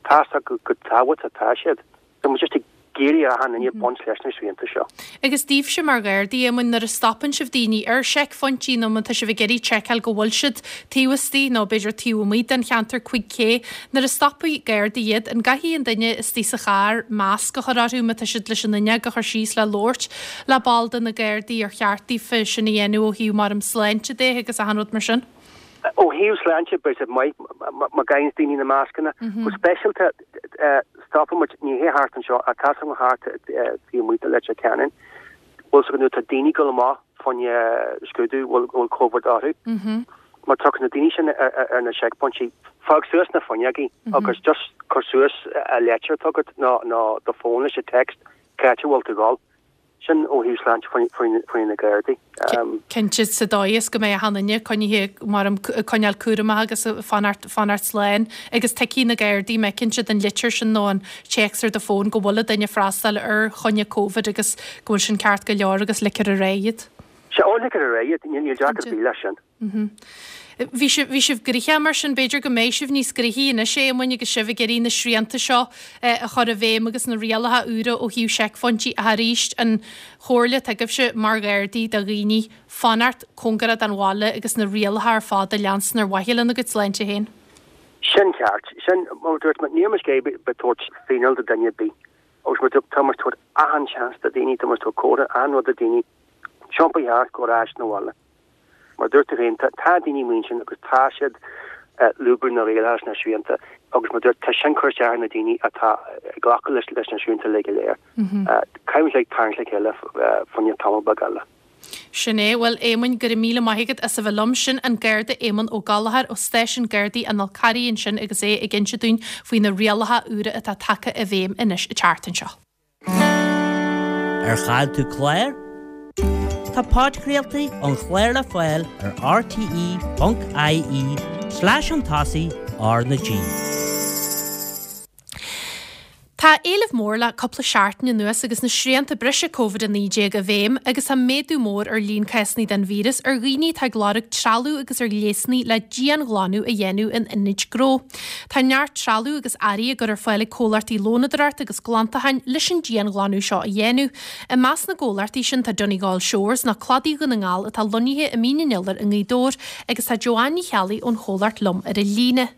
tá's acu chomh tábhachtach atá siad. Tá muid just ag iarraidh ar achan duine baint leis na srianta seo. Agus daoibhse mar Ghardaí, Éamoinn, nuair a stopann sibh daoine ar seicphointí nó má tá sibh ag iarraidh seiceáil go bhfuil siad taobh istigh nó b'fhéidir taobh amuigh den cheantar cúig cé, nuair a stopfaidh Gardaí iad, an gcaithfidh an duine istigh sa charr masc a chur orthu má tá siad leis an fhuinneog a chur síos le labhairt le ball de na Gardaí ar cheart daofa sin a dhéanamh ó thaobh mar sláinte de agus achan rud mar sin? Ó thaobh sláinte, beidh sé maith má gheibheanns daoine na mascanna. Go speisialta, stopann muid, ní hé thart anseo, ach tá sé thart taobh amuigh de Leitir Ceanainn. Bhfuil fhios agat nuair atá daoine ag dul amach fá choinne scrúdú, bhfuil bhfuil Covid orthu. Má tiocfaidh na daoine sin ar na seicphointí, fág suas na fuinneogaí agus just cuir suas an leitir atá agat nó nó do fón leis an text cá háit a bhfuil tú ag dul. Sin ó thaobh sláinte faoi na Gardaí. Cinnte, sa dóigh is go mbeidh achan duine coinnithe mar ag coinneáil cúramach agus fanacht fanacht slán agus tuigfidh na Gardaí mé cinnte den litir sin nó an téacs ar do fón go bhfuil an duine ag freastal ar choinne Covid agus go bhfuil sin ceart go leor agus ligfear ar aghaidh iad. Sea, ó ligfear ar aghaidh iad, níl deacracht ar bith leis sin. Bhí sibh, bhí sibh gnoitheach mar sin, b'fhéidir go mbeidh sibh níos gnoithí anois, a Éamoinn, agus sibh ag iarraidh na srianta seo a chur i bhfeidhm agus na rialacha úra ó thaobh seicphointí ach arís an chomhairle atá agaibhse mar Ghardaí do dhaoine fanacht cóngarach don bhaile agus na rialacha ar fad a leanstan ar mhaithe lena gcuid sláinte féin. Sin ceart. Sin, mar a dúirt mé, níl muid ag iarraidh bheith ag tabhairt fíneáil do dhuine ar bith. Agus mar a dúirt, tá muid ag tabhairt achan seans do dhaoine, tá muid ag tabhairt comhartha, achan rud do dhaoine, tiompaigh thart, gabh ar ais 'na bhaile. Mar a dúirt tú féin, tá daoine amuigh ansin agus tá siad ag lúbadh na rialacha is na srianta agus mar a dúirt, tá sin ag cur isteach ar na daoine atá ag glacadh leis leis na srianta uilig go léir. Caithfidh muid like tarraingt le chéile fá choinne tamall beag eile. Sin é. Bhuel, Éamoinn, go raibh míle maith agat as a bheith liom. Sin an Garda Éamonn Ó Gallchóir ó Stáisiún Gardaí an Fhál Carraigh ansin agus é ag inse dúinn faoi na rialacha úra atá tagtha i bhfeidhm anois an tseachtain seo. Ar chaill tú clár? Tá podchraoltaí an chláir le fáil ar rte ponc ie slash chun tosaigh R na G. Tá éileamh mór le cúpla seachtain anuas agus na srianta breise Covid a naoi déag i bhfeidhm agus tá méadú mór ar líon cásanna den víreas ar dhaoine atá ag lorg trealamh agus ar ghléasanna le dianghlanadh a dhéanamh in ionaid gnó. Tá neart trealamh agus earraí á gcur ar fáil ag comhlachtaí lónadóireachta agus glantacháin leis an dianghlanadh seo a dhéanamh. I measc na gcomhlachtaí sin tá Donegal Shores nó Cladaí Dhún na nGall atá lonnaithe i Mín an Iolair i nGaoth Dobhair agus tá Joanne Ní Cheallaigh ón chomhlacht liom ar an líne.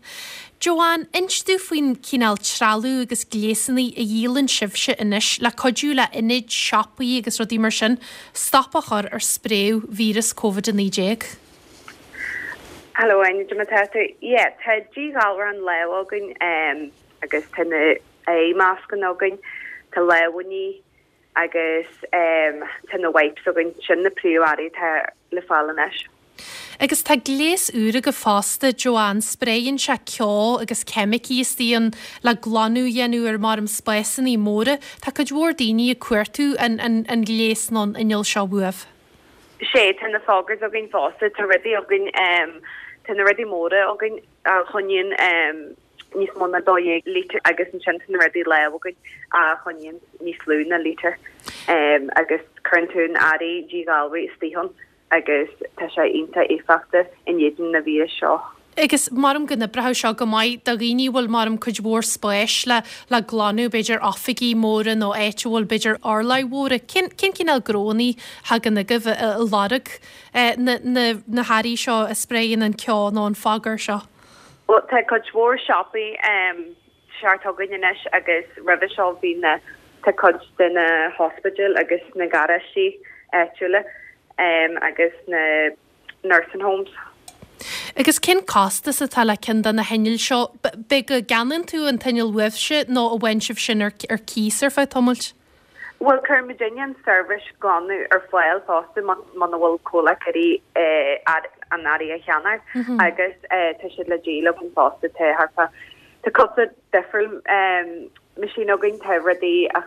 Joanne, inis domh faoin cineál trealamh agus gléasanna a dhíolann sibhse anois le cuidiú le ionaid, siopaí agus rudaí mar sin stop a chur ar spréadh víreas Covid a naoi déag. Hello Áine, cad é mar atá tú? Yeah, tá díghalrán lámh againn um, agus tá na aghaidhmhascanna againn, tá lámhainní, agus tá na wipes againn sin na príomhearraí atá le fáil anois. Agus tá gléas úr agaibh fosta, Joanne, spréann sé ceo agus ceimicí istigh ann le glanadh a dhéanamh ar maram spásanna móra. Tá cuid mhór daoine ag cuartú an, an, an gléas nó an inneall seo uaibh. Sé, tá na foggers againn fosta, tá rudaí againn, tá na rudaí móra againn a choinníonn níos mó ná dó dhéag lítear agus ansin tá na rudaí láimhe againn a choinníonn níos lú ná lítear agus cuireann tú an earraí díghalraithe istigh ann agus tá sé iontach éifeachtach in éadan na víreas seo. Agus maram go n-oibreoidh seo go maith do dhaoine a bhfuil maram cuid mhór spáis le le glanadh, b'fhéidir oifigí móra nó áit a bhfuil b'fhéidir urláir mhóra. Cén cén cineál gnónnaí a thagann chugaibh ag lorg na na na hearraí seo a spréann an ceo nó an fogger seo? Bhuel tá cuid mhór siopaí thart againn anois agus roimhe seo bhí na tá cuid de na hospidéil agus na garáistí áitiúla agus na nursing homes. Agus cén costas atá le ceann de na hinnill seo? B'é go gceannaíonn tú an t-inneall uaibhse nó an bhfaigheann sibh sin ar cíos ar feadh tamaill? Bhuel, cuireann muidinne an seirbhís glanadh ar fáil fosta muna bhfuil comhlacht ag iarraidh an earraí a cheannach agus tá siad le díol againn fosta. Tá thart fá, tá cúpla difriúil machine againn, tá rudaí a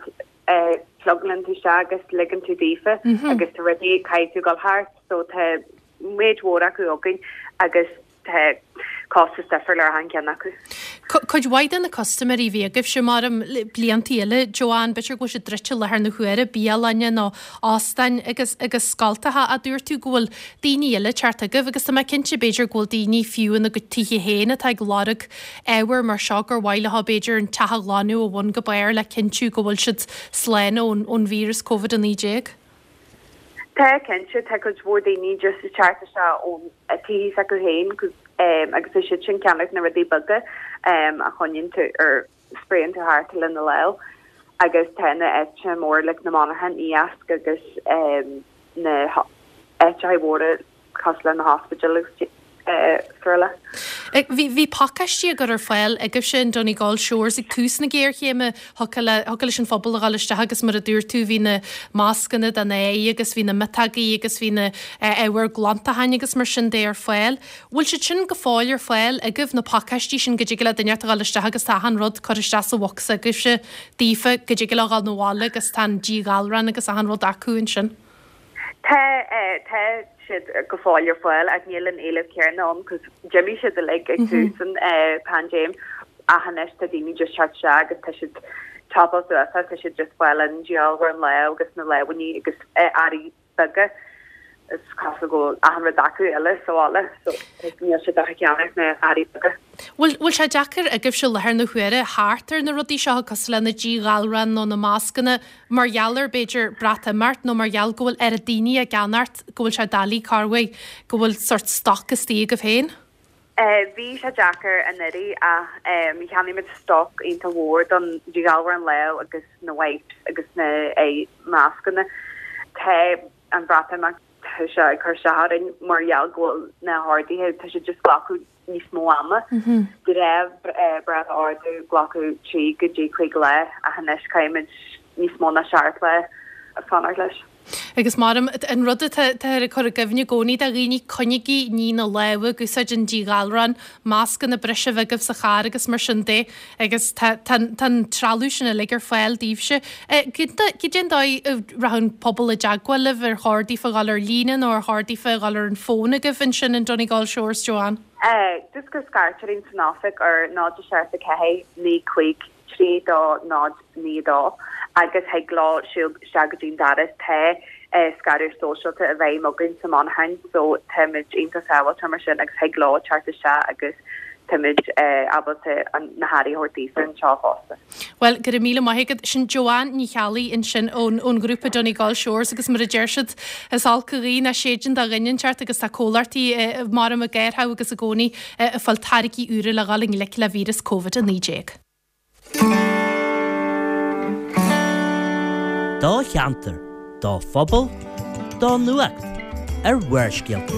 phlugálann tú isteach agus ligeann tú daofa agus tá rudaí caithfidh tú dul thart so tá méid mhór acu againn agus tá costas difriúil ar achan ceann acu. Cuid mhaith de na custaiméirí a bhí agaibhse maram bliantaí eile, Joanne, b'fhéidir go bhfuil siad druidte i láthair na huaire, bialanna nó óstáin agus agus scoltacha, ach dúirt tú go bhfuil daoine eile ag teacht chugaibh agus tá mé cinnte b'fhéidir go bhfuil daoine fiú ina gcuid tithe féin atá ag lorg ábhar mar seo gur mhaith leo b'fhéidir an teach a ghlanadh ó bhun go barr le cinntiú go bhfuil siad slán ón ón víreas Covid a naoi déag. Tá, cinnte, tá cuid mhór daoine just ag teacht isteach ón tithe s'acu féin agus tá siad sin ag ceannach na rudaí beaga a choinníonn tú ar spraeann tú thart lena lámh agus tá na áiteanna móra like na monarchan iasc agus na áiteacha mhóra cosúil le na hospidéil agus srl. Bhí bhí pacáistí á gcur ar fáil agaibhse in Donegal Shores ag tús na géarchéime. Thiocfadh le thiocfadh leis an phobal a dhul isteach agus mar a dúirt tú bhí na mascanna don aghaidh agus bhí na miotógaí agus bhí na ábhair glantacháin agus mar sin de ar fáil. Bhfuil siad sin go fóill ar fáil agaibh, na pacáistí sin go dtig le duine a dhul isteach agus tá achan rud curtha isteach sa bhocsa agaibhse daofa go dtig leo dhul 'na bhaile agus tá an díghalrán agus achan rud acu ansin? Tá, tá siad go fóill ar fáil ach níl an éileamh céanna ann cos d'imigh siad uilig ag tús an paindéim ach anois tá daoine just teacht isteach agus tá siad tapa suas tá siad just fáil an díghalrán lámh agus na lámhainní agus earraí beaga is cosúil go bhfuil achan rud acu eile sa bhaile so níl siad ach ag ceannach na earraí beaga. Bhfuil bhfuil sé deacair agaibhse i láthair na huaire theacht ar na rudaí seo cosúil le na díghalráin nó na mascanna mar gheall ar b'fhéidir Breatimeacht nó mar gheall go bhfuil oiread daoine á gceannacht go bhfuil sé doiligh corruair go bhfuil sórt stoc istigh agaibh féin? Bhí sé deacair anuraidh ach cheannaigh muid stoc iontach mhór don díghalrán lámh agus na wipes agus na mascanna. Tá an Bhreatimeacht tá sé ag cur isteach orainn mar gheall go bhfuil na horduithe tá sé just glacadh níos mó ama. De réir brat a ordú glacadh trí go dtí cúig lá ach anois caithfimid níos mó ná seacht lá fanacht leis. Agus maram, an rud atá ag cur i gcuimhne i gcónaí do dhaoine, coinnigí ag ní na lámha, ag úsáid an díghalrán, mascanna breise a bheith agaibh sa charr agus mar sin de agus tá an trealamh sin uilig ar fáil daoibhse. Cad é an dóigh a rachadh an pobal i dteagmháil libh, ar chóir daofa dhul ar líne nó ar chóir daofa dhul ar an bhfón agaibh ansin in Donegal Shores, Joanne? Just gur scairt orainn san oifig ar náid a seacht a ceathair naoi cúig trí dó náid naoi dó agus thig leo siúl isteach go dtí'n doras. Tá scaradh sóisialta i bhfeidhm againn sa monarchain so táimid iontach sábháilte mar sin agus thig leo teacht isteach agus táimid ábalta na hearraí a thabhairt daofa anseo fosta. Bhuel, go raibh míle maith agat. Sin Joanne Ní Cheallaigh ansin ón ón ghrúpa Donegal Shores agus mar a deir siad, is olc an ghaoth nach séideann do dhuine inteacht agus tá comhlachtaí maram ag athrú agus i gcónaí ag fáil táirgí úra le dhul i ngleic le víreas Covid a naoi déag. Do cheantar, do phobal, do nuacht ar Bharrscéalta.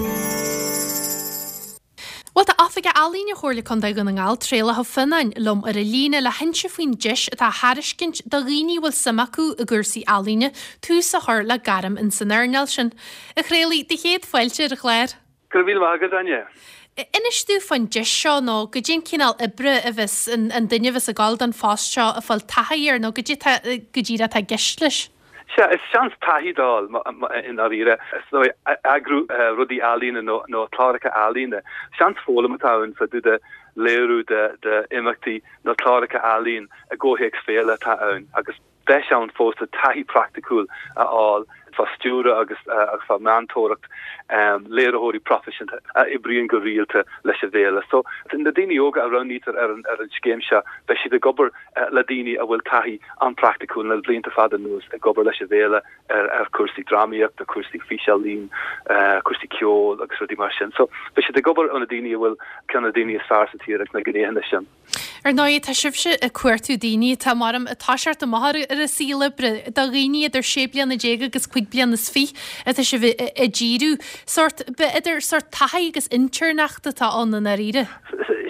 Bhuel tá oifig Oifigeach Ealaíne Chomhairle Contae Dhún na nGall, Traolach Ó Fionnáin, liom ar an líne le hinse faoin deis atá á thairiscint do dhaoine a bhfuil suim acu i gcúrsaí ealaíne tús a chur le gairm ins an earnáil sin. A Thraolaigh, do chéad fáilte ar an chlár. Go raibh míle maith agat, Áine. Inis dúinn fán deis seo nó goidé an cineál oibre a bheas an duine a bheas ag gabháil don phost seo ag fáil taithí air nó goidé go díreach atá i gceist leis. Sea, is seans taithí d'fháil i ndáiríre, is dóigh, eagrú rudaí ealaíne nó nó cláracha ealaíne. Seans foghlaim atá ann fá dtaobh de léiriú de de imeachtaí nó cláracha ealaíon i gcomhthéacs féile atá ann agus deis ann fosta taithí praiticiúil a fháil fá stiúradh agus agus fá meantóireacht léiritheoirí proifisiúnta a oibríonn go rialta leis an bhféile. So, na daoine óga a roghnaítear ar an ar an scéim seo, beidh siad ag obair le daoine a bhfuil taithí an-phraiticiúil le blianta fada anuas ag obair leis an bhféile ar ar cúrsaí drámaíochta, cúrsaí físealaín, cúrsaí ceoil agus rudaí mar sin. So, beidh siad ag obair ó na daoine a bhfuil ceann de na daoine is fearr sa tír ag na gnéithe sin. Ar ndóigh, tá sibhse ag cuartú daoine atá mar ag toiseacht amach ar a saol oibre, do dhaoine idir sé bliana déag agus cúig bliana is fiche atá sibh ag díriú. Sórt, b'fhéidir sórt taithí agus intéirneacht atá ann i ndáiríre.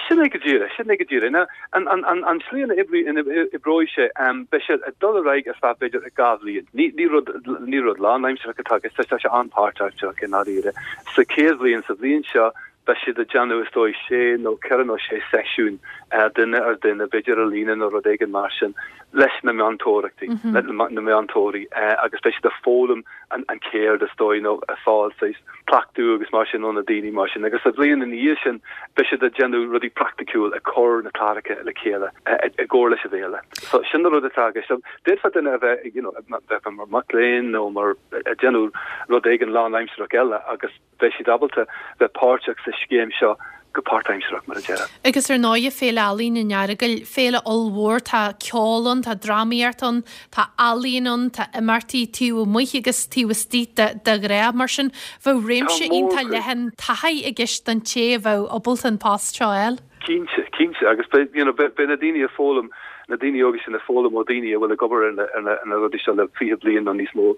Sin é go díreach, sin é go díreach. Now, an, an, an, an tslí ina oibrí, ina oibreoidh sé, beidh sé ag dul ar aghaidh ar feadh b'fhéidir dhá bhliain. Ní, ní rud, ní rud lánaimsearach atá i gceist, tá sé an-pháirtaimsearach i ndáiríre. Sa chéad bhliain, sa bhliain seo, Beidh siad ag déanamh, is dóigh, sé nó ceithre nó sé seisiún, duine ar dhuine, b'fhéidir ar líne nó rud éigin mar sin, leis na meantóireachtaí, le na meantóirí, agus beidh siad ag foghlaim an cheird, is dóigh, nó ag fáil saghas cleachtadh agus mar sin ó na daoine mar sin. Agus sa bhliain ina dhiaidh sin, beidh siad ag déanamh rudaí praiticiúil, ag cur na cláracha le chéile i gcomhar leis an bhféile. So sin an rud atá i gceist. D'fhéadfadh duine a bheith, you know, bheith mar mac léinn nó mar ag déanamh rud éigin lánaimsearach eile agus, beidh siad ábalta bheith páirteach sa scéim seo go páirtaimsearach, mar a déarfá. Agus ar ndóighe, Féile Ealaíon an Earagail, féile ollmhór, tá ceol ann, tá drámaíocht ann, tá ealaíon ann, tá imeachtaí taobh amuigh agus taobh istigh de de ghnáth. Mar sin, bheadh réimse iontach leathan taithí i gceist don té a bheadh ábalta an post seo a fháil. Cinnte, cinnte. Agus beidh, you know, beidh na daoine ag foghlaim, na daoine óga sin ag foghlaim ó dhaoine a bhfuil ag obair ar na, ar na, ar na rudaí seo le fiche bliain nó níos mó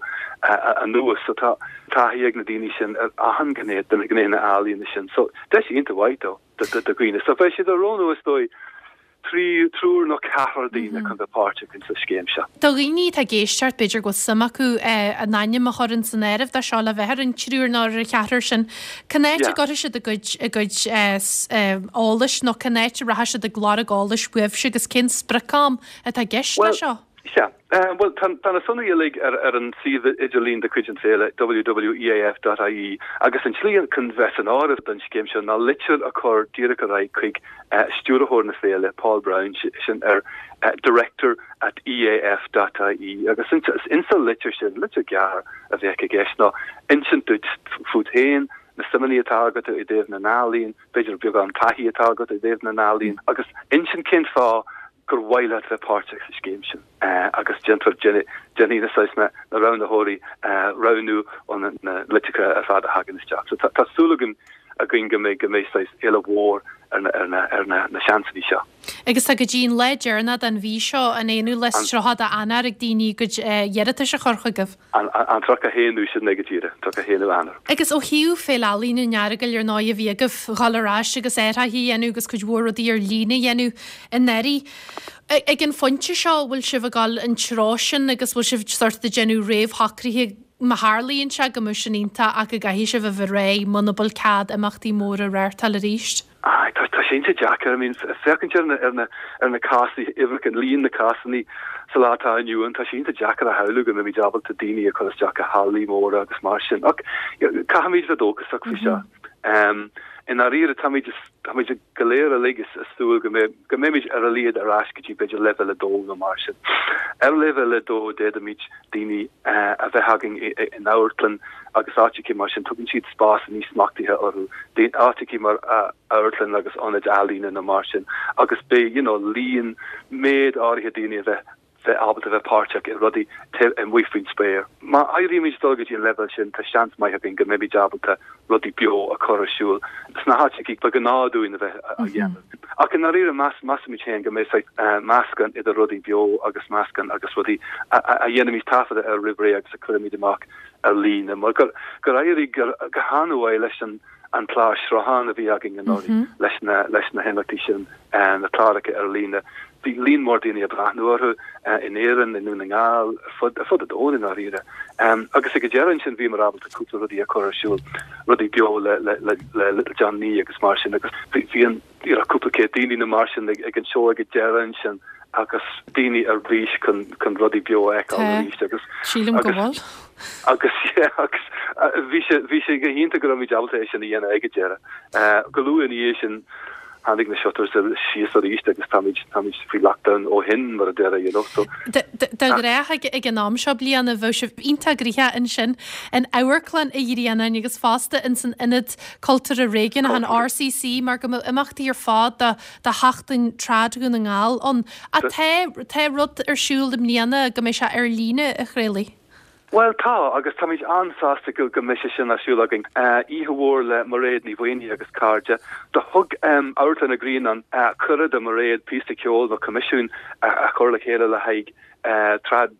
anuas. So tá taithí ag na daoine sin ar achan ghné de na gnéithe ealaíona sin. So deis iontach mhaith do, do, do dhaoine. So beidh siad ag roghnú is dóigh trí, triúr nó ceathrar daoine chun bheith páirteach in sa scéim seo. Do dhaoine atá ag éisteacht, b'fhéidir go bhfuil suim acu a n-ainm a chur ins an áireamh do seo le bheith ar an triúr nó ar an cheathrar sin, cén áit a gcuirfidh siad a gcuid, a gcuid eolais nó cén áit a rachaidh siad ag lorg eolais uaibhse agus cén sprioc-am atá i gceist le seo? Sea. Bhuel, tá tá na sonraí uilig ar ar an suíomh idirlín de chuid an Féile, www.eaf dot ie, agus an tslí chun bheith san áireamh don scéim seo ná litir a chur díreach ar aghaidh chuig stiúrthóir na féile, Paul Browne, sin ar director at eaf dot ie, agus insa litir sin, litir ghearr a bheadh i gceist, ná insint duit fút féin, na suimeanna atá agat i dtaobh na n-ealaíon, b'fhéidir beagán taithí atá agat i dtaobh na n-ealaíon, agus insint cén fáth gur mhaith leat bheith páirteach sa scéim sin agus déanfar, déanfaidh na saghas na roghnaitheoirí roghnú ó na litreacha ar fad a thagann isteach. So tá súil againn againn go mbeidh go mbeidh saghas éileamh mhór ar na ar na ar na na seansanna seo. Agus tá go dtí an lá deireanach den mhí seo, an aonú lá is tríocha d'Eanáir ag daoine a gcuid iarratais a chur chugaibh. An an tríocha haonú sin é go díreach, tríocha haonú Eanáir. Agus ó thaobh Féile Ealaíon an Earagail ar ndóigh a bhí agaibh dhul ar ais agus athruithe a dhéanamh agus cuid mhór rudaí ar líne a dhéanamh anuraidh. Ag an phointe seo bhfuil sibh ag dul an treo sin agus bhfuil sibh sort ag déanamh réamhshocruithe má tharlaíonn sé go mbeadh sin iontach ach go gcaithfidh sibh a bheith réidh muna bhfuil cead imeachtaí móra a reáchtáil arís? Aye, tá tá sé iontach deacair. I mean, féachaint ar na ar na ar na cásanna, uimhreacha, líon na cásanna sa lá atá inniu ann, tá sé iontach deacair a shamhlú go mbeimid ábalta daoine a chur isteach i hallaí móra agus mar sin. Ach caithfimid bheith dóchasach faoi seo. Um, i ndáiríre, táimid táimid go léir uilig ag súil go mbeidh go mbeimid ar a laghad ar ais go dtí b'fhéidir leibhéal a dó nó mar sin. Ar leibhéal a dó d'fhéadfaimid daoine a bheith againn in amharclann agus áiteacha mar sin, tugann siad spás níos smachtaithe orthu, áiteacha mar amharclann agus ionaid ealaíne nó mar sin agus beidh you know líon, méid áirithe daoine a bheith bheith ábalta bheith páirteach i rudaí taobh amuigh faoin spéir. Má éirímid dul go dtí an leibhéal sin, tá seans maith againn go mbeimid ábalta rudaí beo a chur ar siúl sna háiteacha ba ghnáth dúinn a bheith á dhéanamh. Ach i ndáiríre, measaimid féin go mbeidh saghas meascán idir rudaí beo agus meascán agus rudaí a dhéanaimid taifeadadh air roimh ré agus a chuirimid amach ar líne, mar gur éirigh go han-mhaith leis an an clár sruthán a bhí againn anuraidh leis na leis na himeachtaí sin, na cláracha ar líne. Bhí líon mór daoine ag breathnú orthu in Éirinn, i nDún na nGall, ar fud ar fud an domhain i ndáiríre. Agus ag an deireadh ansin bhíomar ábalta cúpla rudaí a chur ar siúl, rudaí beo le le le le Little John Nee agus mar sin agus bhí bhí an you know cúpla céad daoine nó mar sin ag ag an seó ag an deireadh ansin agus daoine ar bís chun chun rudaí beo a fheiceáil arís agus Sílim go bhfuil. agus yeah, agus bhí sé bhí sé go hiontach go raibh muid ábalta é sin a dhéanamh ag an deireadh. Go luath ina dhiaidh sin tháinig na shutters síos arís agus táimid táimid faoi lockdown ó shin mar a déarfá you know so De ghnáth ag ag an am seo bliana bheadh sibh iontach gnoitheach ansin in Amharclann an Ghrianáin agus fosta in san Ionad Cultúrtha Réigiúnach an RCC mar go mbeadh imeachtaí ar fad do do Sheachtain Trad Dhún na nGall ann. Ach tá tá rud ar siúl i mbliana go mbeidh sé ar líne a Thraolaigh. Bhuel tá, agus táimid an-sásta go go mbeidh sé sin ar siúl againn. Oíche mhór le Mairéad Ní Mhaonaigh agus cairde. Do thug Amharclann an Ghrianáin cuireadh do Mairéad píosa ceoil nó coimisiún a chur le chéile le haghaidh trad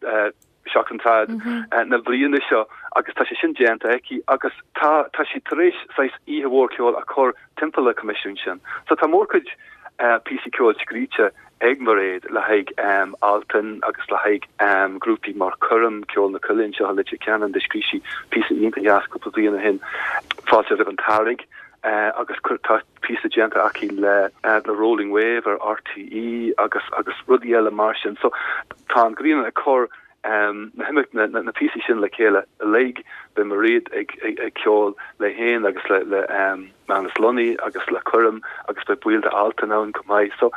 Seachtain Trad na bliana seo agus tá sé sin déanta aici agus tá tá sí tar éis saghas oíche mhór ceoil a chur timpeall an choimisiúin sin. So tá mórchuid píosaí ceoil scríte ag Mairéad le haghaidh Altan agus le haghaidh grúpaí mar Coirm, Ceol na Coille anseo i Leitir Ceanainn, do scríobh sí píosa iontach deas cúpla bliain ó shin, Fáilte roimh an tEarrach, agus tá píosa déanta aici le le Rolling Wave ar RTÉ agus agus rudaí eile mar sin. So tá an Grianán ag cur na himeacht na na píosaí sin le chéile uilig, beidh Mairéad ag ag ceol léi féin agus le le Manus Lunny agus le Coirm agus beidh baill de Altan ann chomh maith. So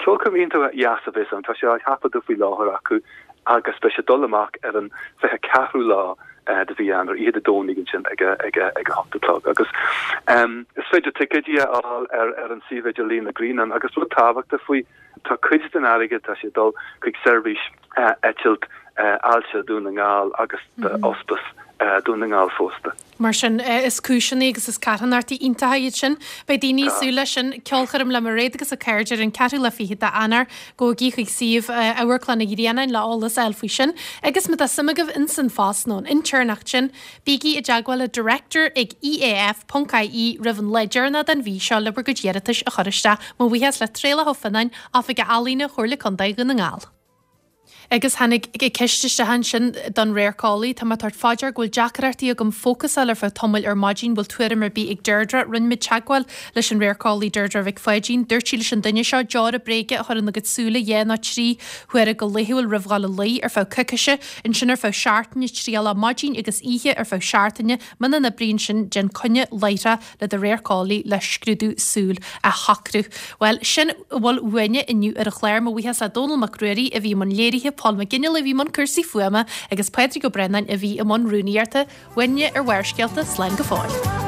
ceolchoirm iontach dheas a bheas ann, tá sé á thaifeadadh faoi láthair acu agus beidh sé ag dul amach ar an fiche ceathrú lá de mhí Eanáir, oíche Dé Domhnaigh ansin ag a ag a ag a hocht a chlog. Agus is féidir ticéidí a fháil ar ar an suíomh idirlín na Grianán agus rud tábhachtach faoi, tá cuid den airgead, tá sé ag dul chuig seirbhís eitilt Ailse Dhún na nGall agus d'Ospás Dún na nGall fosta. Mar sin, is cúiseanna agus is carthanachtaí iontacha iad sin. Beidh daoine ag súil leis sin. Ceolchoirm le Mairéad agus a cairde ar an ceathrú lá fichead d'Eanáir. Gabhaigí chuig suíomh Amharclann an Ghrianáin le eolas a fháil faoi sin. Agus má tá suim agaibh ins an phost nó an intéirneacht sin, bígí i dteagmháil le director ag EAF ponc IE roimh an lá deireanach den mhí seo le bhur gcuid iarratais a chur isteach. Mo bhuíochas le Traolach Ó Fionnáin, Oifigeach Ealaíne Chomhairle Contae Dhún na nGall. Agus tháinig ceist isteach ansin don radharceolaí, tá mé ag tabhairt fá dear go bhfuil deacrachtaí agam fócasáil ar feadh tamaill ar maidin, bhfuil tuairim ar bith ag Deirdre? Rinne muid teagmháil leis an radharceolaí Deirdre Mhic Pháidín. Dúirt sí leis an duine seo deora bréige a chur ina gcuid súile dhá nó trí huaire go laethúil roimh dhul a luí ar feadh coicíse, ansin ar feadh seachtaine, triail é maidin agus oíche ar feadh seachtaine, muna n-oibríonn sin, déan coinne láithreach le do radharceolaí le scrúdú súl a shocrú. Bhuel, sin a bhfuil uainne inniu ar an chlár. Mo bhuíochas le Dónall Mac Ruairí a bhí i mbun léirithe, Paul McGinley a bhí i mbun cúrsaí fuaime agus Pádraig Ó Braonáin a bhí i mbun rúnaíochta. Uainne ar Bharrscéalta, slán go fóill.